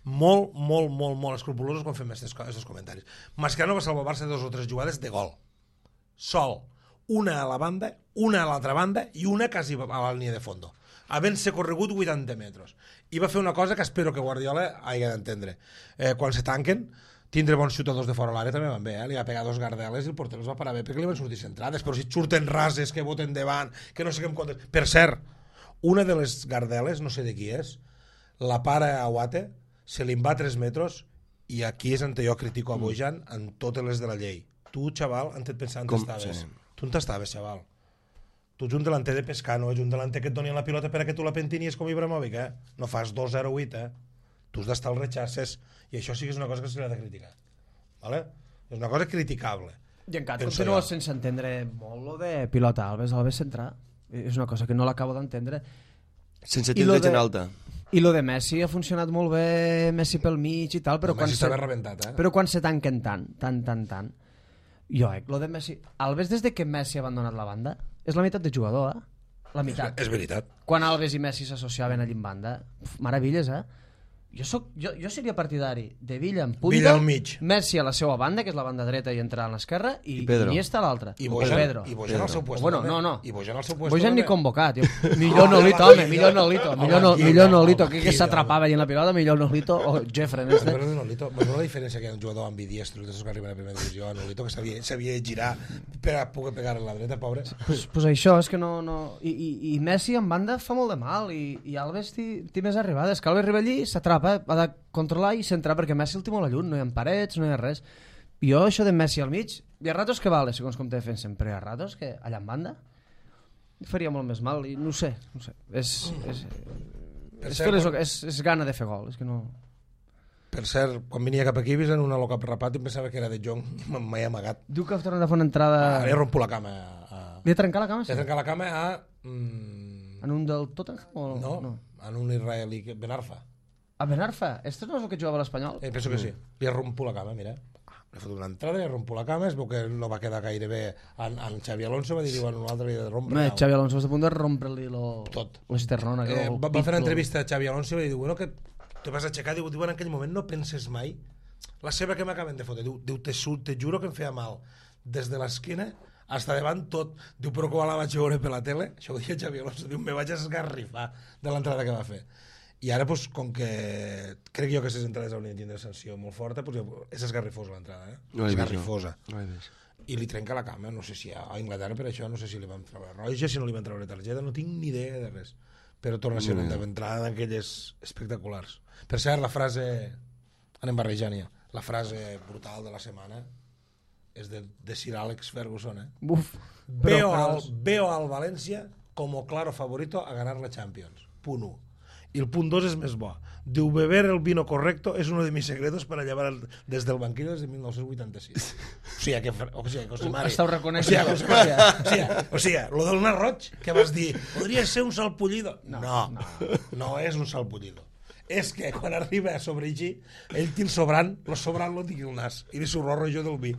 molt escrupulosos quan fem aquests comentaris. Mascherano va salvar el Barça 2 o 3 jugades de gol. Sol. Una a la banda, una a l'altra banda i una quasi a la línia de fondo. Havent-se corregut 80 metres. I va fer una cosa que espero que Guardiola hagi d'entendre. Quan se tanquen, tindre bons xutadors de fora l'àrea també van bé, li va pegar 2 gardeles i el porter els va parar bé perquè li van sortir centrades, però si surten rases, que boten davant, que no sé què em comptes... Per cert, una de les gardeles, no sé de qui és, la para a Guate, se li en va 3 metres i aquí és on jo critico a Bojan en totes les de la llei. Tu, xaval, en et pensant on estaves? Sí. Tu on t'estaves, xaval? Tu ets un delanter de pescar, no ets un delanter que et doni la pilota per a que tu la pentinies com Ibrahimovic, No fas 2-0-8, Tu has d'estar als rechaces i això sí que és una cosa que se li ha de criticar. Vale? És una cosa criticable. I encara continuo sense entendre molt lo de pilota Alves centrar. És una cosa que no l'acabo d'entendre. Sense tindre gent alta. I lo de Messi ha funcionat molt bé, Messi pel mig i tal, però Messi estava rebentat, Però quan se tanquen tant. Jo, lo de Messi... Alves, des de que Messi ha abandonat la banda, és la meitat de jugador, La meitat. És veritat. Quan Alves i Messi s'associaven allà en banda, meravelles, Jo seria partidari de Villa en punta, Villa al mig. Messi a la seva banda, que és la banda dreta i entrar a l'esquerra, i Pedro. Iniesta a l'altra. I o Bojan, Pedro. i Bojan al seu puesto. Bueno, també. no. I Bojan al seu puesto. Bojan ni també. convocat. Millor Nolito, home, millor Nolito. Millor Nolito, que s'atrapava allà en la pilota, millor Nolito o Jeffrey. Però Nolito, veus la diferència que hi ha un jugador ambidiestro que arriba a la primera divisió, a Nolito, que sabia girar per a poder pegar a la dreta, pobre. Pues això, és que no... I Messi en banda fa molt de mal, i Alves té més arribades. Que Alves arriba allí, s'atrapa, ha de controlar i centrar, perquè Messi el té molt a lluny, no hi ha parets, no hi ha res. Jo, això de Messi al mig, hi ha ratos que vale, segons com te defensen, però hi ha ratos que allà en banda faria molt més mal, i no sé. És gana de fer gol, és que no... Per cert, quan venia cap aquí, vist en un alocap rapat i em pensava que era de Jong i m'he amagat. Diu que ha tornat a fer una entrada... Li he romput la cama. Li ha trencat la cama? Li he trencat la cama a... En un del Tottenham? O... No, en un israelí, Benarfa. A Benarfa? Este no és el que jugava a l'Espanyol? Penso que sí. Li he romput la cama, mira. Li he fotut una entrada, li he romput la cama, es veu que no va quedar gaire bé. En Xavi Alonso va dir, bueno, un altre li he de rompre. Xavi Alonso està a punt de rompre-li l'esternona. Va fer una entrevista a Xavi Alonso i va dir, bueno, que te vas aixecar, diu, en aquell moment no penses mai la seva que m'acaben de fotre, diu, te juro que em feia mal des de l'esquena hasta davant tot, diu, però quan la vaig veure per la tele, això ho deia Xavi Alonso, diu, me vaig esgarrifar de l'entrada que va fer. I ara, pues, com que crec jo que aquestes entrades haurien de tindre sanció molt forta, pues, és esgarrifosa l'entrada, No esgarrifosa. No he vist. I li trenca la cama, no sé si a Anglaterra per això, no sé si li van treure roja, si no li van treure targeta, no tinc ni idea de res, però torna a ser una entrada d'aquelles espectaculars. Per cert, la frase, anem barrejant ja, la frase brutal de la setmana és de Sir Alex Ferguson, Buf. Veo al Valencia como claro favorito a ganar la Champions. Punt 1. I el punt 2 és més bo. Diu, beber el vino correcto es uno de mis secretos para llevar des del banquillo desde 1986. O sigui, José Mari. Estàu reconeixent. O sigui, lo del nas roig, que vas dir, podria ser un salpullido. No és un salpullido. És que quan arriba a sobreeixir, ell té el sobrant lo tingui el nas. I li s'horror jo del vi.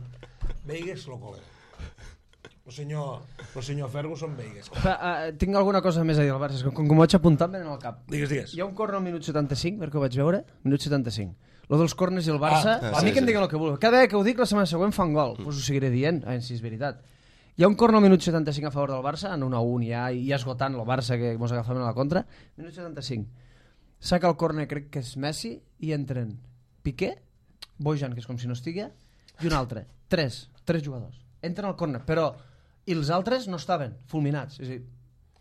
Veigues lo col·lega. El senyor Ferguson Veigues. Tinc alguna cosa més a dir al Barça, com ho vaig apuntar em venen al cap. Digues. Hi ha un córner al minut 75, perquè ho vaig veure, minut 75. Lo dels córners i el Barça, a mi que em diguen el que vulgui. Cada vegada que ho dic, la setmana següent fan gol. Us ho seguiré dient, si és veritat. Hi ha un córner al minut 75 a favor del Barça, en 1-1 ja esgotant el Barça, que ens agafaven a la contra. Minut 75. Saca el córner, crec que és Messi, i entren Piqué, Bojan, que és com si no estigui, i un altre. Tres jugadors. Entren al córner, però... I els altres no estaven fulminats. És a dir,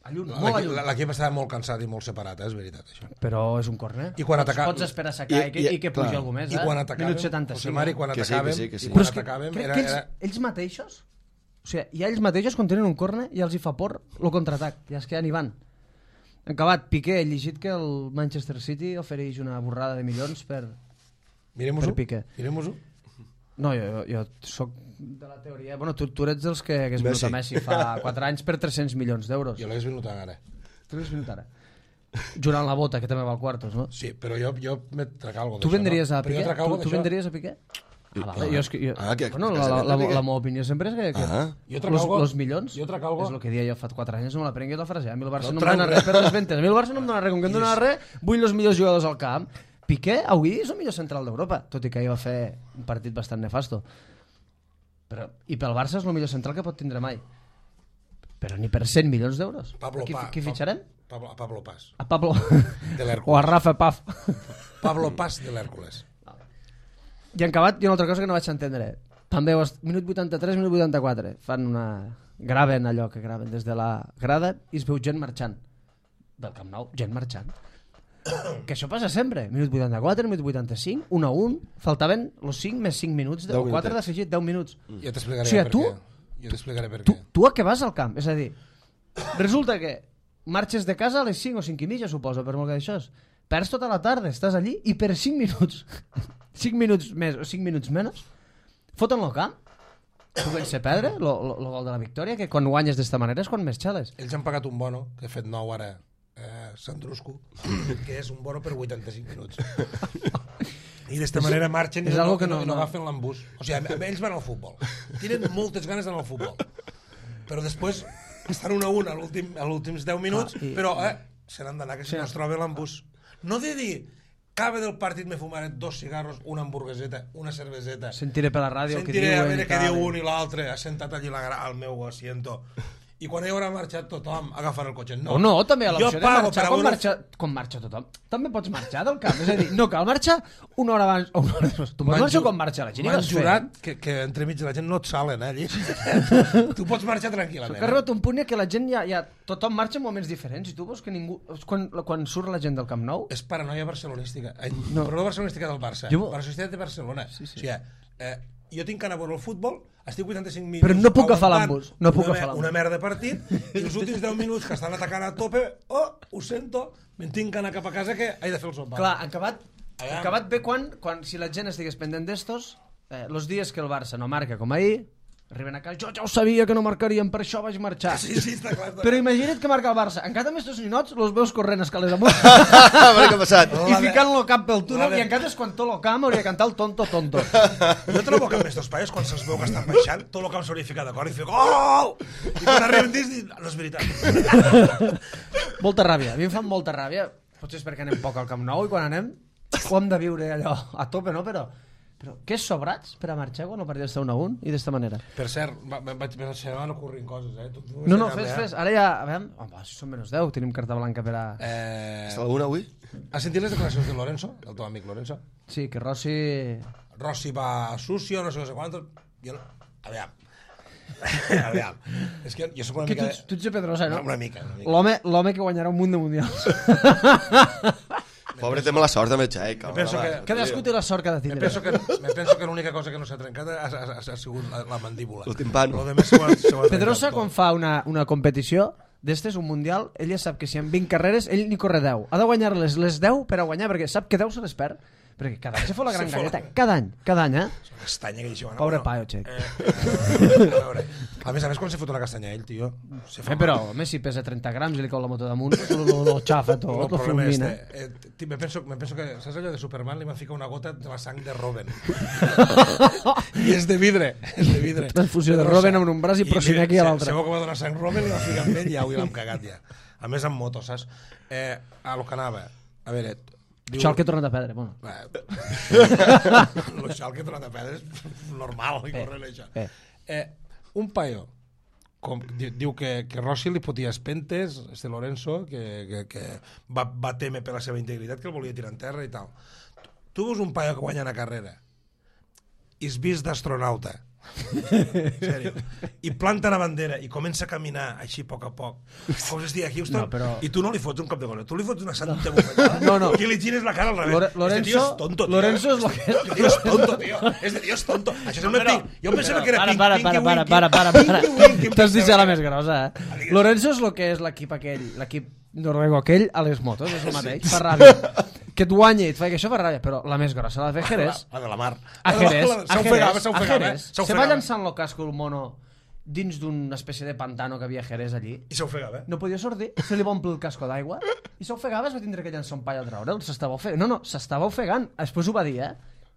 a llum, molt a llum. L'equip estava molt cansat i molt separat, és veritat, això. Però és un córner. I quan atacàvem... Pots esperar a sacar i que pugi algú més, I quan atacàvem... Minut 75. José Mari, quan atacàvem... Ells mateixos... O sigui, ja ells mateixos, quan tenen un córner, ja els hi fa por el contraatac. Ja és que ja n'hi van. En acabat, Piqué, he llegit que el Manchester City ofereix una borrada de milions per Piqué. Mirem-ho-ho. No, jo soc de la teoria... Bueno, tu eres dels que hagués venut a Messi fa 4 anys per 300 milions d'euros. Jo l'hagués venut ara. Tu l'hagués venut ara. Jurant la bota, que també val quartos, no? Sí, però jo me trac algo d'això. Tu vendries a Piqué? Tu vendries a Piqué? La meva opinió sempre és que els milions és el que dia jo fa 4 anys, no me la prenguis la frase. A mi el Barça no em dona res per les ventes. A mi el Barça no em dona res. Com que em dona res, vull els millors jugadors al camp. Piqué avui és el millor central d'Europa, tot i que ahir va fer un partit bastant nefasto. I pel Barça és el millor central que pot tindre mai. Però ni per 100 milions d'euros. Qui fitxarem? A Pablo Paz. A Pablo... De l'Hèrcules. O a Rafa Paz. Pablo Paz de l'Hèrcules. I en acabat, hi ha una altra cosa que no vaig entendre. També, minut 83, minut 84, fan una... Graven allò que graven des de la grada i es veu gent marxant. Del Camp Nou, gent marxant. Que això passa sempre. Minut 84, minut 85, 1-1, faltaven els 5 més 5 minuts, 4 d'afegit, 10 minuts. Jo t'explicaré per què. Tu a què vas al camp? És a dir, resulta que marxes de casa a les 5 o 5 i mitja, suposo, per molt que d'això. Perds tota la tarda, estàs allí i per 5 minuts, 5 minuts més o 5 minuts menys, foten el camp. Tu vens a perdre el gol de la victòria, que quan guanyes d'esta manera és quan més xales. Ells han pagat un bono, que he fet 9 ara, Sandruscu, que és un bono per 85 minuts. I d'esta manera marxen i no agafen l'embús. O sigui, ells van al futbol. Tenen moltes ganes d'anar al futbol. Però després estan 1-1 a l'últims 10 minuts, però se n'han d'anar, que si no es troba l'embús. No de dir, cabe del partit me fumaré 2 cigarros, una hamburgueseta, una cerveseta. Sentiré per la ràdio que diuen. Sentiré a veure què diu un i l'altre, assentat allí al meu asiento. I quan hi haurà marxat tothom, agafar el cotxe. No, també a l'opció de marxar quan marxa tothom. També pots marxar del camp. És a dir, no cal marxar una hora abans o una hora després. Tu pots marxar quan marxa la gent. M'han jurat que entremig de la gent no et salen, allí. Tu pots marxar tranquil·lament. Que ha arribat un punt que la gent ja... Tothom marxa en moments diferents i tu veus que ningú... Quan surt la gent del Camp Nou... És paranoia barcelonística. Però no barcelonística del Barça. Barcelonística de Barcelona. O sigui, jo tinc que anar a veure el futbol, estic 85 minuts... Però no puc agafar l'embús. Una merda de partit, i els últims 10 minuts que estan atacant a tope, ho sento, me'n tinc que anar cap a casa que he de fer el sopar. Clar, acabat bé quan si la gent estigués pendent d'estos, els dies que el Barça no marca com ahir, arriben a casa, jo ja ho sabia que no marcarien, per això vaig marxar. Sí, està clar. Però imagina't que marca el Barça. Encara amb estos ninots els veus corrent escales amunt. Què ha passat? I ficant-lo cap pel túnel, i encara és quan tot el camp hauria de cantar el tonto. Jo trobo que amb estos paios, quan se'ls veu que estan baixant, tot el camp s'hauria ficat d'acord i fer gol! I quan arriben dins, no és veritat. Molta ràbia, a mi em fan molta ràbia. Potser és perquè anem poc al Camp Nou i quan anem ho hem de viure allò a tope, no? Però què és sobrats per a marxar quan el partit està 1-1 i d'esta manera? Per cert, se van ocorrint coses, No, fes. Ara ja, a veure, si són menys 10, tenim carta blanca per a... Està alguna avui? Has sentit les declaracions de Lorenzo, del teu amic Lorenzo? Sí, que Rossi va sucio, no sé quantos... Jo no... Aviam. És que jo soc una mica... Tu ets de Pedrosa, no? Una mica. L'home que guanyarà un munt de mundials. Pobre, té mala sort amb el xec. Cadascú té la sort que ha de tindre. Me penso que l'única cosa que no s'ha trencat ha sigut la mandíbula. El timpano. Pedrosa, quan fa una competició, d'estes, un mundial, ell ja sap que si en 20 carreres ell n'hi corre 10. Ha de guanyar-les les 10 per a guanyar, perquè sap que 10 se les perd. Perquè cada any se fa la gran galleta. Cada any, eh? És una castanya que deixi... Pobre paio, xec. A més, quan se fot una castanya ell, tio... Però, home, si pesa 30 grams i li cau la moto damunt, lo xafa tot, lo fulmina. Me penso que, saps allò de Superman? Li van ficar una gota de la sang de Robin. I és de vidre, Transfusió de Robin amb un braç i Prosinecki a l'altre. Sabeu que va donar sang Robin i va ficar amb ell i ja l'hem cagat ja. A més, amb moto, saps? A lo que anava, a veure... Xal que he tornat a perdre, bueno. El xal que he tornat a perdre és normal, i corrent això. Un paio diu que Rossi li fotia espentes, Lorenzo, que va temer per la seva integritat, que el volia tirar en terra i tal. Tu veus un paio que guanya una carrera i es vist d'astronauta, sèrio, i planta la bandera i comença a caminar així a poc, com es diu a Houston, i tu no li fots un cop de gol, tu li fots una santa bufetada i li gires la cara al revés. Lorenzo és tonto, tio. Lorenzo és lo que... Este tio és tonto, tio. Este tio és tonto. Això sembla Pink. Jo pensava que era Pink. Para. T'has dit la més grossa, eh? Lorenzo és lo que és l'equip aquell, l'equip noruego aquell a les motos, és el mateix, fa ràbia. Que et guanyi i et fa que això fa ràbia, però la més grossa, la de Jerez. La de la mar. A Jerez. Se va llançant el casco el mono dins d'una espècie de pantano que havia a Jerez allí. I s'ofegava. No podia sortir, se li va omplir el casco d'aigua i s'ofegava, es va tindre que llançar un pall a traure'l. S'estava ofegant. No, s'estava ofegant. Després ho va dir,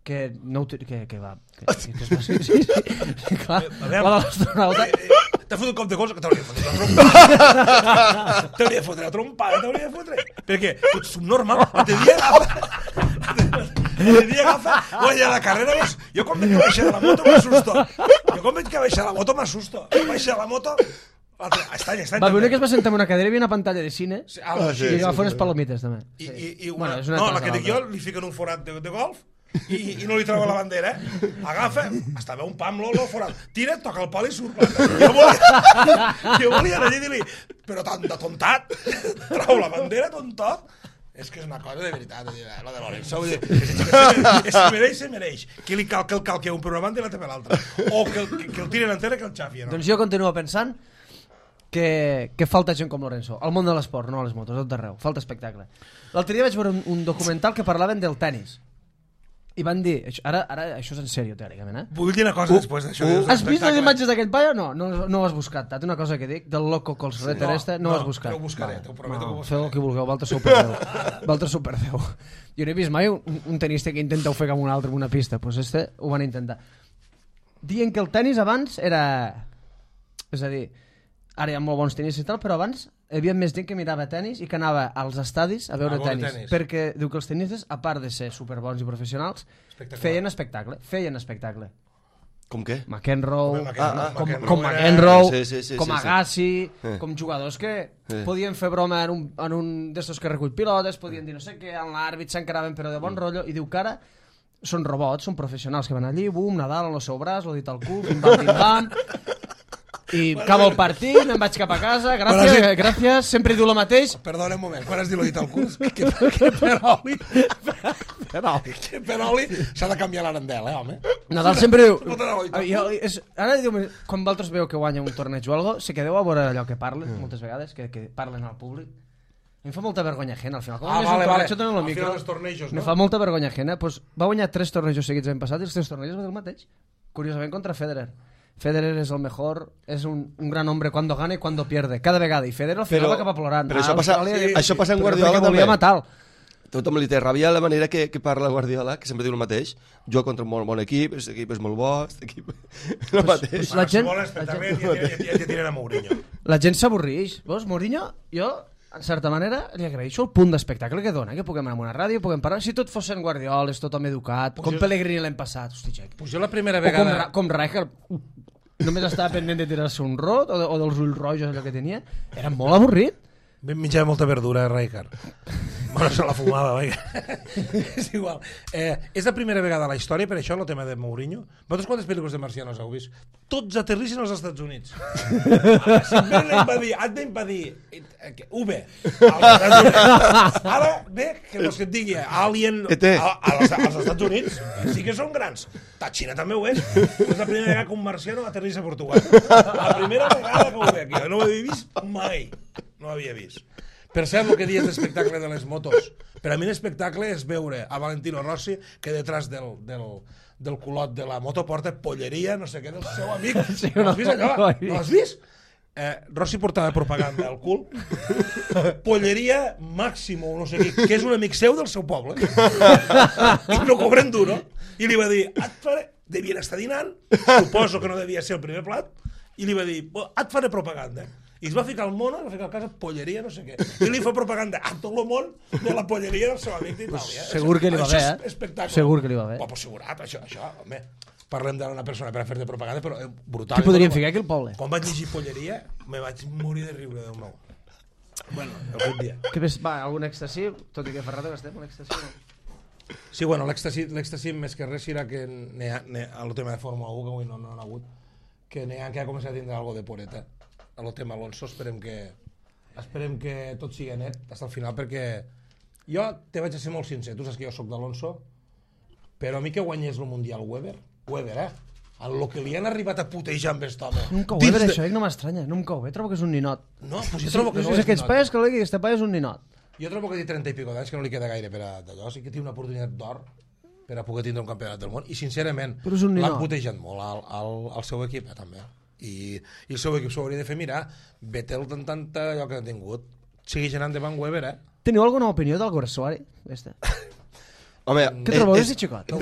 que no ho... que va... Sí, clar, la de l'astronauta... T'ha fotut un cop de gol que t'hauria de fotre la trompada. T'hauria de fotre la trompada, perquè tu ets subnormal. L'altre dia agafa, guanya la carrera. Jo quan veig que baixa de la moto m'assusto. Baixa de la moto... Estany. Va veure que es va sentar en una cadira i hi havia una pantalla de cine i va fer unes palomites també. No, la que dic jo li fiquen un forat de golf i no li treu la bandera, agafa, estava un pam l'olo forat, tira, toca el pal i surt. Jo volia anar allà i dir-li, però tan de tontat, trau la bandera, tontot. És que és una cosa de veritat, la de Lorenzo. Se mereix. Que li cal que el calqui un per una banda i l'altre per l'altra. O que el tiren en terra que el xafi. Doncs jo continuo pensant que falta gent com Lorenzo. Al món de l'esport, no a les motos, tot d'arreu. Falta espectacle. L'altre dia vaig veure un documental que parlaven del tennis. I van dir, ara això és en sèrio, teòricament, Vull dir una cosa després d'això. Has vist les imatges d'aquell paio? No ho has buscat. T'ha una cosa que dic, del loco Colsretter no ho has buscat. No ho buscaré, t'ho prometo que ho buscaré. Feu el que vulgueu, Valtre superdeu. Jo no he vist mai un tenista que intenta ofegar amb un altre en una pista, doncs ho van intentar. Dient que el tenis abans era... És a dir, ara hi ha molt bons tenistes i tal, però abans hi havia més gent que mirava tenis i que anava als estadis a veure tenis. Perquè diu que els tenistes, a part de ser superbons i professionals, feien espectacle. Com què? McEnroe, com Agassi, com jugadors que podien fer broma en un d'estos que recull pilotes, podien dir no sé què, en l'àrbit s'encaraven però de bon rotllo, i diu que ara són robots, són professionals que van allí, bum, Nadal en el seu braç, l'ho dit al cul, pim-pam, i acaba el partit, me'n vaig cap a casa, gràcies, sempre diu el mateix. Perdona un moment, quan has dit l'ho dit al cul? Que Peroli s'ha de canviar l'arandel, home? Nadal sempre diu... Ara diu, quan vosaltres veu que guanya un torneig o alguna cosa, si quedeu a veure allò que parlen, moltes vegades, que parlen al públic, em fa molta vergonya ajena, al final. Al final dels tornejos, no? Me fa molta vergonya ajena. Va guanyar 3 tornejos seguits l'any passat i els 3 tornejos va dir el mateix. Curiosament contra Federer. Federer és el mejor, és un gran hombre cuando gana y cuando pierde, cada vegada, i Federer al final va acabar plorant. Però això passa en Guardiola també. Volia matar-lo. Tothom li té ràbia la manera que parla Guardiola, que sempre diu el mateix. Jo contra un molt bon equip, aquest equip és molt bo, aquest equip... El mateix. Si vols espectacle, ja tiren a Mourinho. La gent s'avorreix. Veus, Mourinho, jo, en certa manera, li agraeixo el punt d'espectacle que dona, que puguem anar a una ràdio, puguem parlar. Si tot fossin Guardioles, tothom educat, com Pellegrini l'any passat, hosti, Jack. Jo la primera vegada... Com Rijkaard, només estava pendent de tirar-se un rot o dels ulls rojos, allò que tenia. Era molt avorrit. Menjava molta verdura, Rijkaard. Bueno, se la fumava, vaja. És igual. És la primera vegada a la història, per això, el tema de Mourinho. Vosaltres quantes pel·lícules de marcianos heu vist? Tots aterrissin als Estats Units. Simplement V. Ara, bé, que no et digui Alien als Estats Units, sí que són grans. La Xina també ho és. És la primera vegada que un marciano aterrissa a Portugal. La primera vegada que ho veig aquí. No ho havia vist mai. No ho havia vist. Per cert, el que dius d'espectacle de les motos. Per a mi l'espectacle és veure a Valentino Rossi que detrás del culot de la moto porta polleria, no sé què, del seu amic. Sí, no has vist allò? No has vist? Rossi portava propaganda al cul. Polleria Máximo, no sé què, que és un amic seu del seu poble. I no cobren duro. I li va dir, devien estar dinant, suposo que no devia ser el primer plat, i li va dir, et faré propaganda. I es va ficar al mono, va ficar a casa polleria, no sé què. I li fa propaganda a tot el món de la polleria del seu amic d'Itàlia. Segur que li va bé, Segur que li va bé. Pues segurat, això, home. Parlem d'una persona per a fer de propaganda, però brutal. Què podríem ficar aquí al poble? Quan vaig llegir polleria, me vaig morir de riure, Déu meu. Bueno, algun dia. Va, algun èxtasi? Tot i que fa rato que estem, l'èxtasi no? Sí, bueno, l'èxtasi més que res serà que el tema de Fórmula 1, que avui no ha hagut, que ha començat a tindre algo de poreta. El tema Alonso, esperem que tot sigui net fins al final, perquè jo te vaig a ser molt sincer, tu saps que jo soc d'Alonso, però a mi que guanyés el Mundial Weber, el que li han arribat a putejar amb aquest home. No em cau bé per això, no m'estranya, no em cau bé, trobo que és un ninot. No, doncs jo trobo que no és aquests paes que aquest paia és un ninot. Jo trobo que té 30 i pico d'anys, que no li queda gaire per a d'allò, sí que té una oportunitat d'or per a poder tindre un campionat del món, i sincerament l'han putejat molt al seu equip, també. I el seu equip s'ho hauria de fer mirar. Vettel tant allò que ha tingut, segueix anant davant Weber. Teniu alguna opinió del Guersuari? Home, què trobeu de xicot?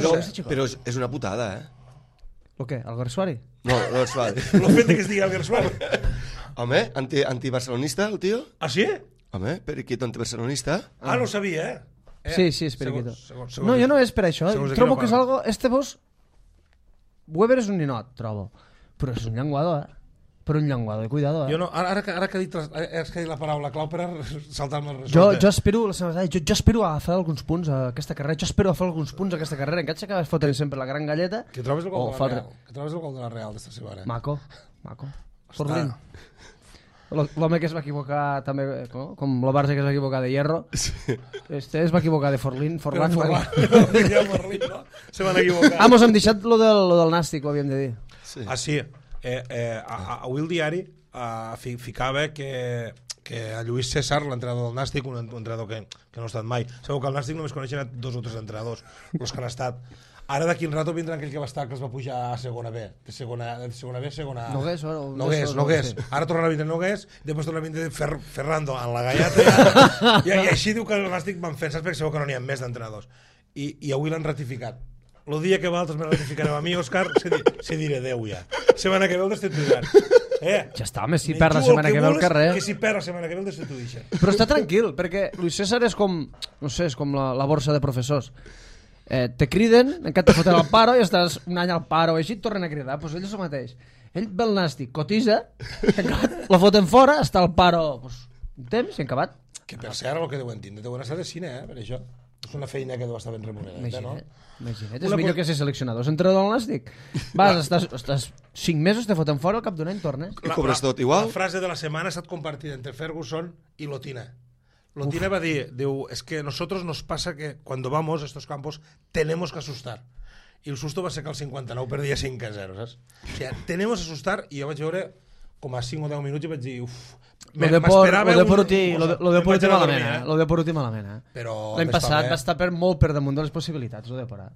Però és una putada, El què? El Guersuari? No, el Guersuari. El fet que es digui el Guersuari. Home, antibarcelonista el tio? Ah, sí? Home, periquito antibarcelonista. Ah, no ho sabia, Sí, és periquito. No, jo no és per això. Trobo que és algo... Weber és un ninot, trobo. Però és un llenguador, Però un llenguador, cuidado, Jo no, ara que has dit la paraula clau per saltar-me el resultat. Jo espero a fer alguns punts a aquesta carrera. Encara s'acaba fotent sempre la gran galleta. Que trobes el gol de la Real. Que trobes el gol de la Real d'esta setmana. Maco. Forlín. L'home que es va equivocar també, com la Barça que es va equivocar de Hierro. Es va equivocar de Forlán. Forlán, no? Se van equivocar. Mos hem deixat lo del Nàstic, ho havíem de dir. Ah, sí. Avui el diari ficava que a Lluís César, l'entrenador del Nàstic, un entrenador que no ha estat mai, segur que al Nàstic només coneixen 2 o 3 entrenadors, els que han estat. Ara d'aquí un rato vindrà aquell que va estar, que es va pujar a segona B, de segona B a segona A. Nogués. Ara tornarà a vindre Nogués, després tornarà a vindre Ferrando en la gallata, i així diu que el Nàstic van fent, saps? Perquè segur que no n'hi ha més d'entrenadors. I avui l'han ratificat. El dia que vosaltres me ratificareu a mi, Òscar, se diré Déu ja. Setmana que ve el destituiran. Ja està, home, si perd la setmana que ve al carrer. Que si perd la setmana que ve el destituïixen. Però està tranquil, perquè Luis César és com, no sé, és com la borsa de professors. Te criden, encara te foten al paro i estàs un any al paro, així et tornen a cridar. Doncs ell és el mateix. Ell ve al Nàstic, cotitza, la foten fora, està al paro un temps i acabat. Que per cert, el que deuen tindre, deuen estar de cine, per això. És una feina que deu estar ben remunerada, no? Imagina't, és millor que ser seleccionador. És entrenador al Nàstic. Vas, estàs 5 mesos, te foten fora, al cap d'un any tornes. I cobres tot igual? La frase de la setmana ha estat compartida entre Ferguson i Lotina. Lotina va dir, es que nosotros nos pasa que cuando vamos a estos campos tenemos que asustar. I el susto va ser que el 59 perdia 5-0, saps? O sigui, tenemos que asustar, i jo vaig veure com a 5 o 10 minuts i vaig dir, m'esperava lo de por últim malament, L'any passat va estar molt per damunt de les possibilitats, lo de Porà.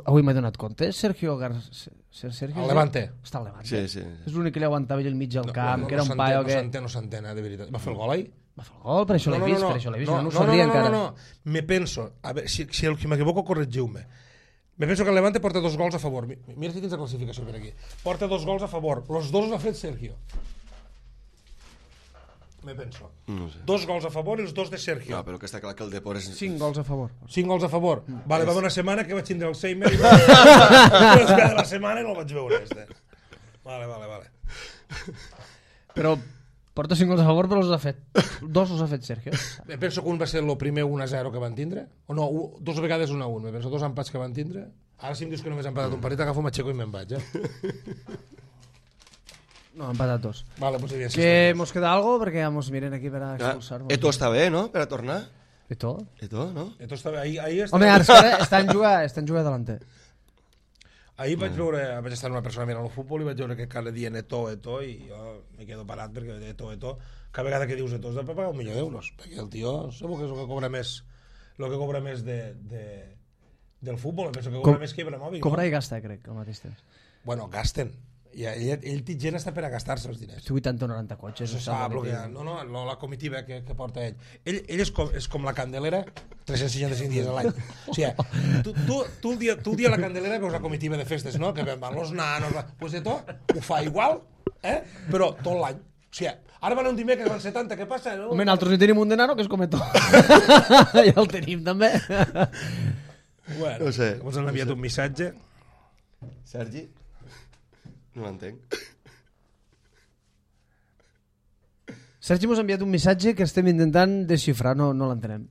Avui m'he donat compte, Sergio al Levante. Està al Levante. Sí. És l'únic que li aguantava al mig del camp, que era un paio que... No s'entén, de veritat. Va fer el gol ahí? Va fer el gol, per això l'he vist, no ho sabia encara. No, me penso, a veure, si m'equivoco, corregiu-me. Me penso que el Levante porta 2 gols a favor. Mira si tens la classificació per aquí. Porta 2 gols a favor. Los 2 els ha fet Sergio. Me penso. No sé. 2 gols a favor i els 2 de Sergio. No, però que està clar que el Depor és... 5 gols a favor. 5 gols a favor. Vale, va una setmana que vaig tindre Alzheimer i de la setmana no el vaig veure. Vale. Però Porta 5 gols a favor, però els ha fet. 2 els ha fet Sergio. Penso que un va ser el primer 1-0 que van tindre. O no, 2 vegades 1-1. Penso 2 empats que van tindre. Ara si em dius que només han empatat un partit, agafo, m'aixeco i me'n vaig, No, han empatat 2. Vale, pues que mos queda algo? Perquè ja mos miren aquí per a expulsar-nos. Eto està bé, no?, per a tornar. Eto, no? Eto està bé. Ahir està... Home, ara està en jugar delanter. Ahir vaig estar una persona mirant el futbol i vaig veure que cada dia Eto, i jo me quedo parat perquè Eto, cada vegada que dius Eto has de pagar 1 milió d'euros, perquè el tio segur que és el que cobra més del futbol, penso que cobra més que Ibrahimovic. Cobra i gasta, crec, al mateix temps. Bueno, gasten. I ell té gent està per a gastar-se els diners. 80 o 90 cotxes. Això s'ha bloquejat. No, la comitiva que porta ell. Ell és com la Candelera 365 dies a l'any. O sigui, tu el dia a la Candelera veus la comitiva de festes, no? Que van los nanos... Pues de tot, ho fa igual, però tot l'any. O sigui, ara van un dimecres, van 70, què passa? Home, nosaltres hi tenim un de nano que és com Eto. Ja el tenim, també. Bueno, ens han enviat un missatge. Sergi? No l'entenc. Sergi mos ha enviat un missatge que estem intentant desxifrar, no l'entenem.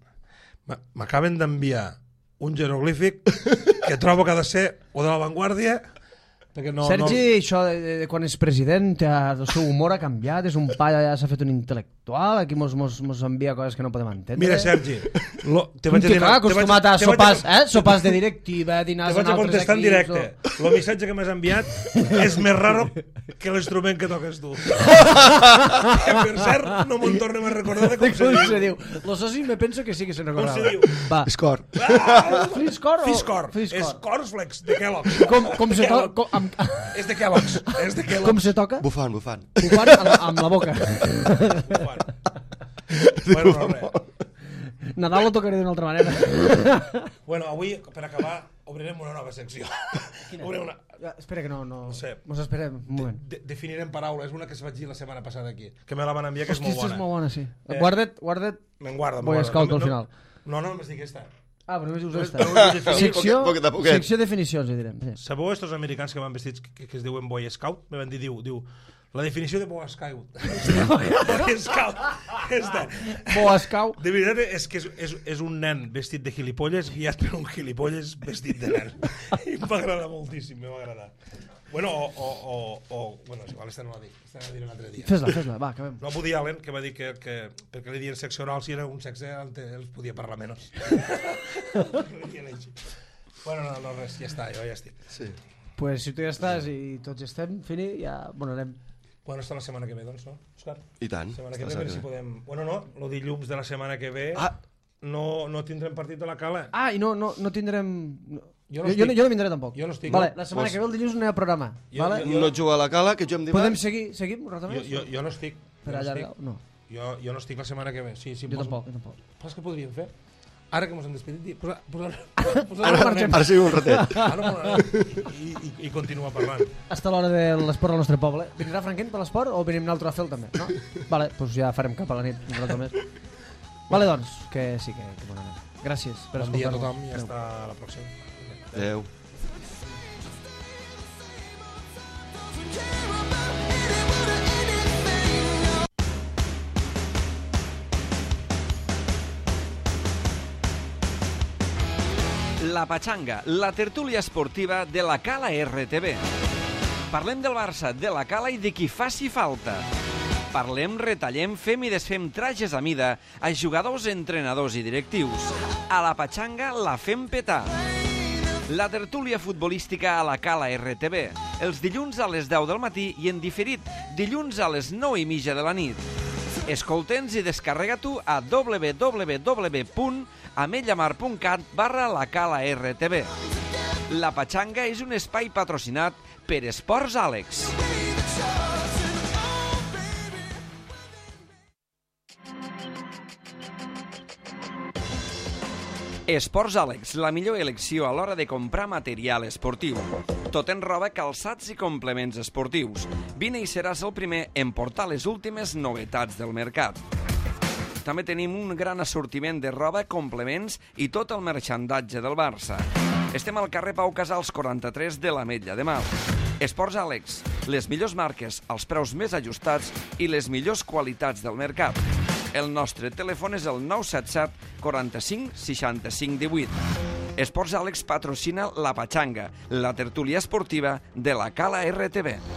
M'acaben d'enviar un jeroglífic que trobo que ha de ser o de La Vanguardia... Sergi, això de quan és president, el seu humor ha canviat, és un pa, ja s'ha fet un intel·lectual, aquí mos envia coses que no podem entendre. Mira, Sergi, un tio acostumat a sopars de directiva, dinars en altres equips... Te vaig a contestar en directe. El missatge que m'has enviat és més raro que l'instrument que toques tu. Que per cert, no me'n tornem a recordar de com se diu. Lo soci me penso que sí que se'n recordava. Com se diu? Fiscor. Fiscor. És Cornflakes de Kellogg's. Com se toca... És de Kellogg's. Com se toca? Bufant. Bufant amb la boca. Bueno, no, res. Nadal lo tocaré d'una altra manera. Bueno, avui, per acabar, obrirem una nova secció. Espera que no sé. Mos esperem un moment. Definirem paraules, una que es vaig dir la setmana passada aquí, que me la van enviar, que és molt bona. És molt bona, sí. Guarda't. Me'n guarda. Boy Scout al final. No, només dic aquesta. Ah, però només dius esta. Secció definicions, hi direm. Sabeu estos americans que van vestits que es diuen Boy Scout? Me van dir, diu, la definició de Boy Scout. Boy Scout. Boy Scout. De veritat és que és un nen vestit de gilipolles guiat per un gilipolles vestit de nen. I em va agradar moltíssim, me va agradar. Bueno, bueno, igual esta no la dic, esta la diré un altre dia. Fes-la, va, acabem. No, Woody Allen, que va dir que perquè li diuen sexe oral, si era un sexe, els podia parlar menys. Bueno, no, res, ja està, jo ja estic. Sí. Pues si tu ja estàs i tots estem, Fini, ja, bueno, anem. Bueno, està la setmana que ve, doncs, no, Òscar? I tant. La setmana que ve, a veure si podem... Bueno, no, el dilluns de la setmana que ve no tindrem partit de la Cala. Ah, i no tindrem... Jo no vindré tampoc. Jo no estic. Vale, la setmana que ve el dilluns no hi ha programa. No juga a la Cala, que juguem dimarts. Podem seguir un rato més? Jo no estic. Per allargar? No. Jo no estic la setmana que ve. Sí, jo tampoc. Saps què podríem fer? Ara que mos hem despedit, ara sí un ratet. I continua parlant. Hasta l'hora de l'esport al nostre poble. Vindrà Franquent per l'esport o venim nosaltres a fer-lo també? No? Vale, doncs ja farem cap a la nit un rato més. Vale, doncs, que sí que bona nit. Gràcies per escoltar-nos. Bon dia a tothom i hasta la pròxima. Adéu. La Patxanga, la tertúlia esportiva de la Cala RTV. Parlem del Barça, de la Cala i de qui faci falta. Parlem, retallem, fem i desfem trajes a mida a jugadors, entrenadors i directius. A la Patxanga la fem petar. La tertúlia futbolística a la Cala RTV, els dilluns a les 10 del matí i en diferit, dilluns a les 9:30 de la nit. Escolta'ns i descarrega-t'ho a www.ametlllamar.cat/la Cala RTV. La Patxanga és un espai patrocinat per Esports Àlex. Esports Àlex, la millor elecció a l'hora de comprar material esportiu. Tot en roba, calçats i complements esportius. Vine i seràs el primer en portar les últimes novetats del mercat. També tenim un gran assortiment de roba, complements i tot el merxandatge del Barça. Estem al carrer Pau Casals 43 de l'Ametlla de Mar. Esports Àlex, les millors marques als preus més ajustats i les millors qualitats del mercat. El nostre telèfon és el 977 45 65 18. Esports Àlex patrocina La Pachanga, la tertúlia esportiva de la Cala RTV.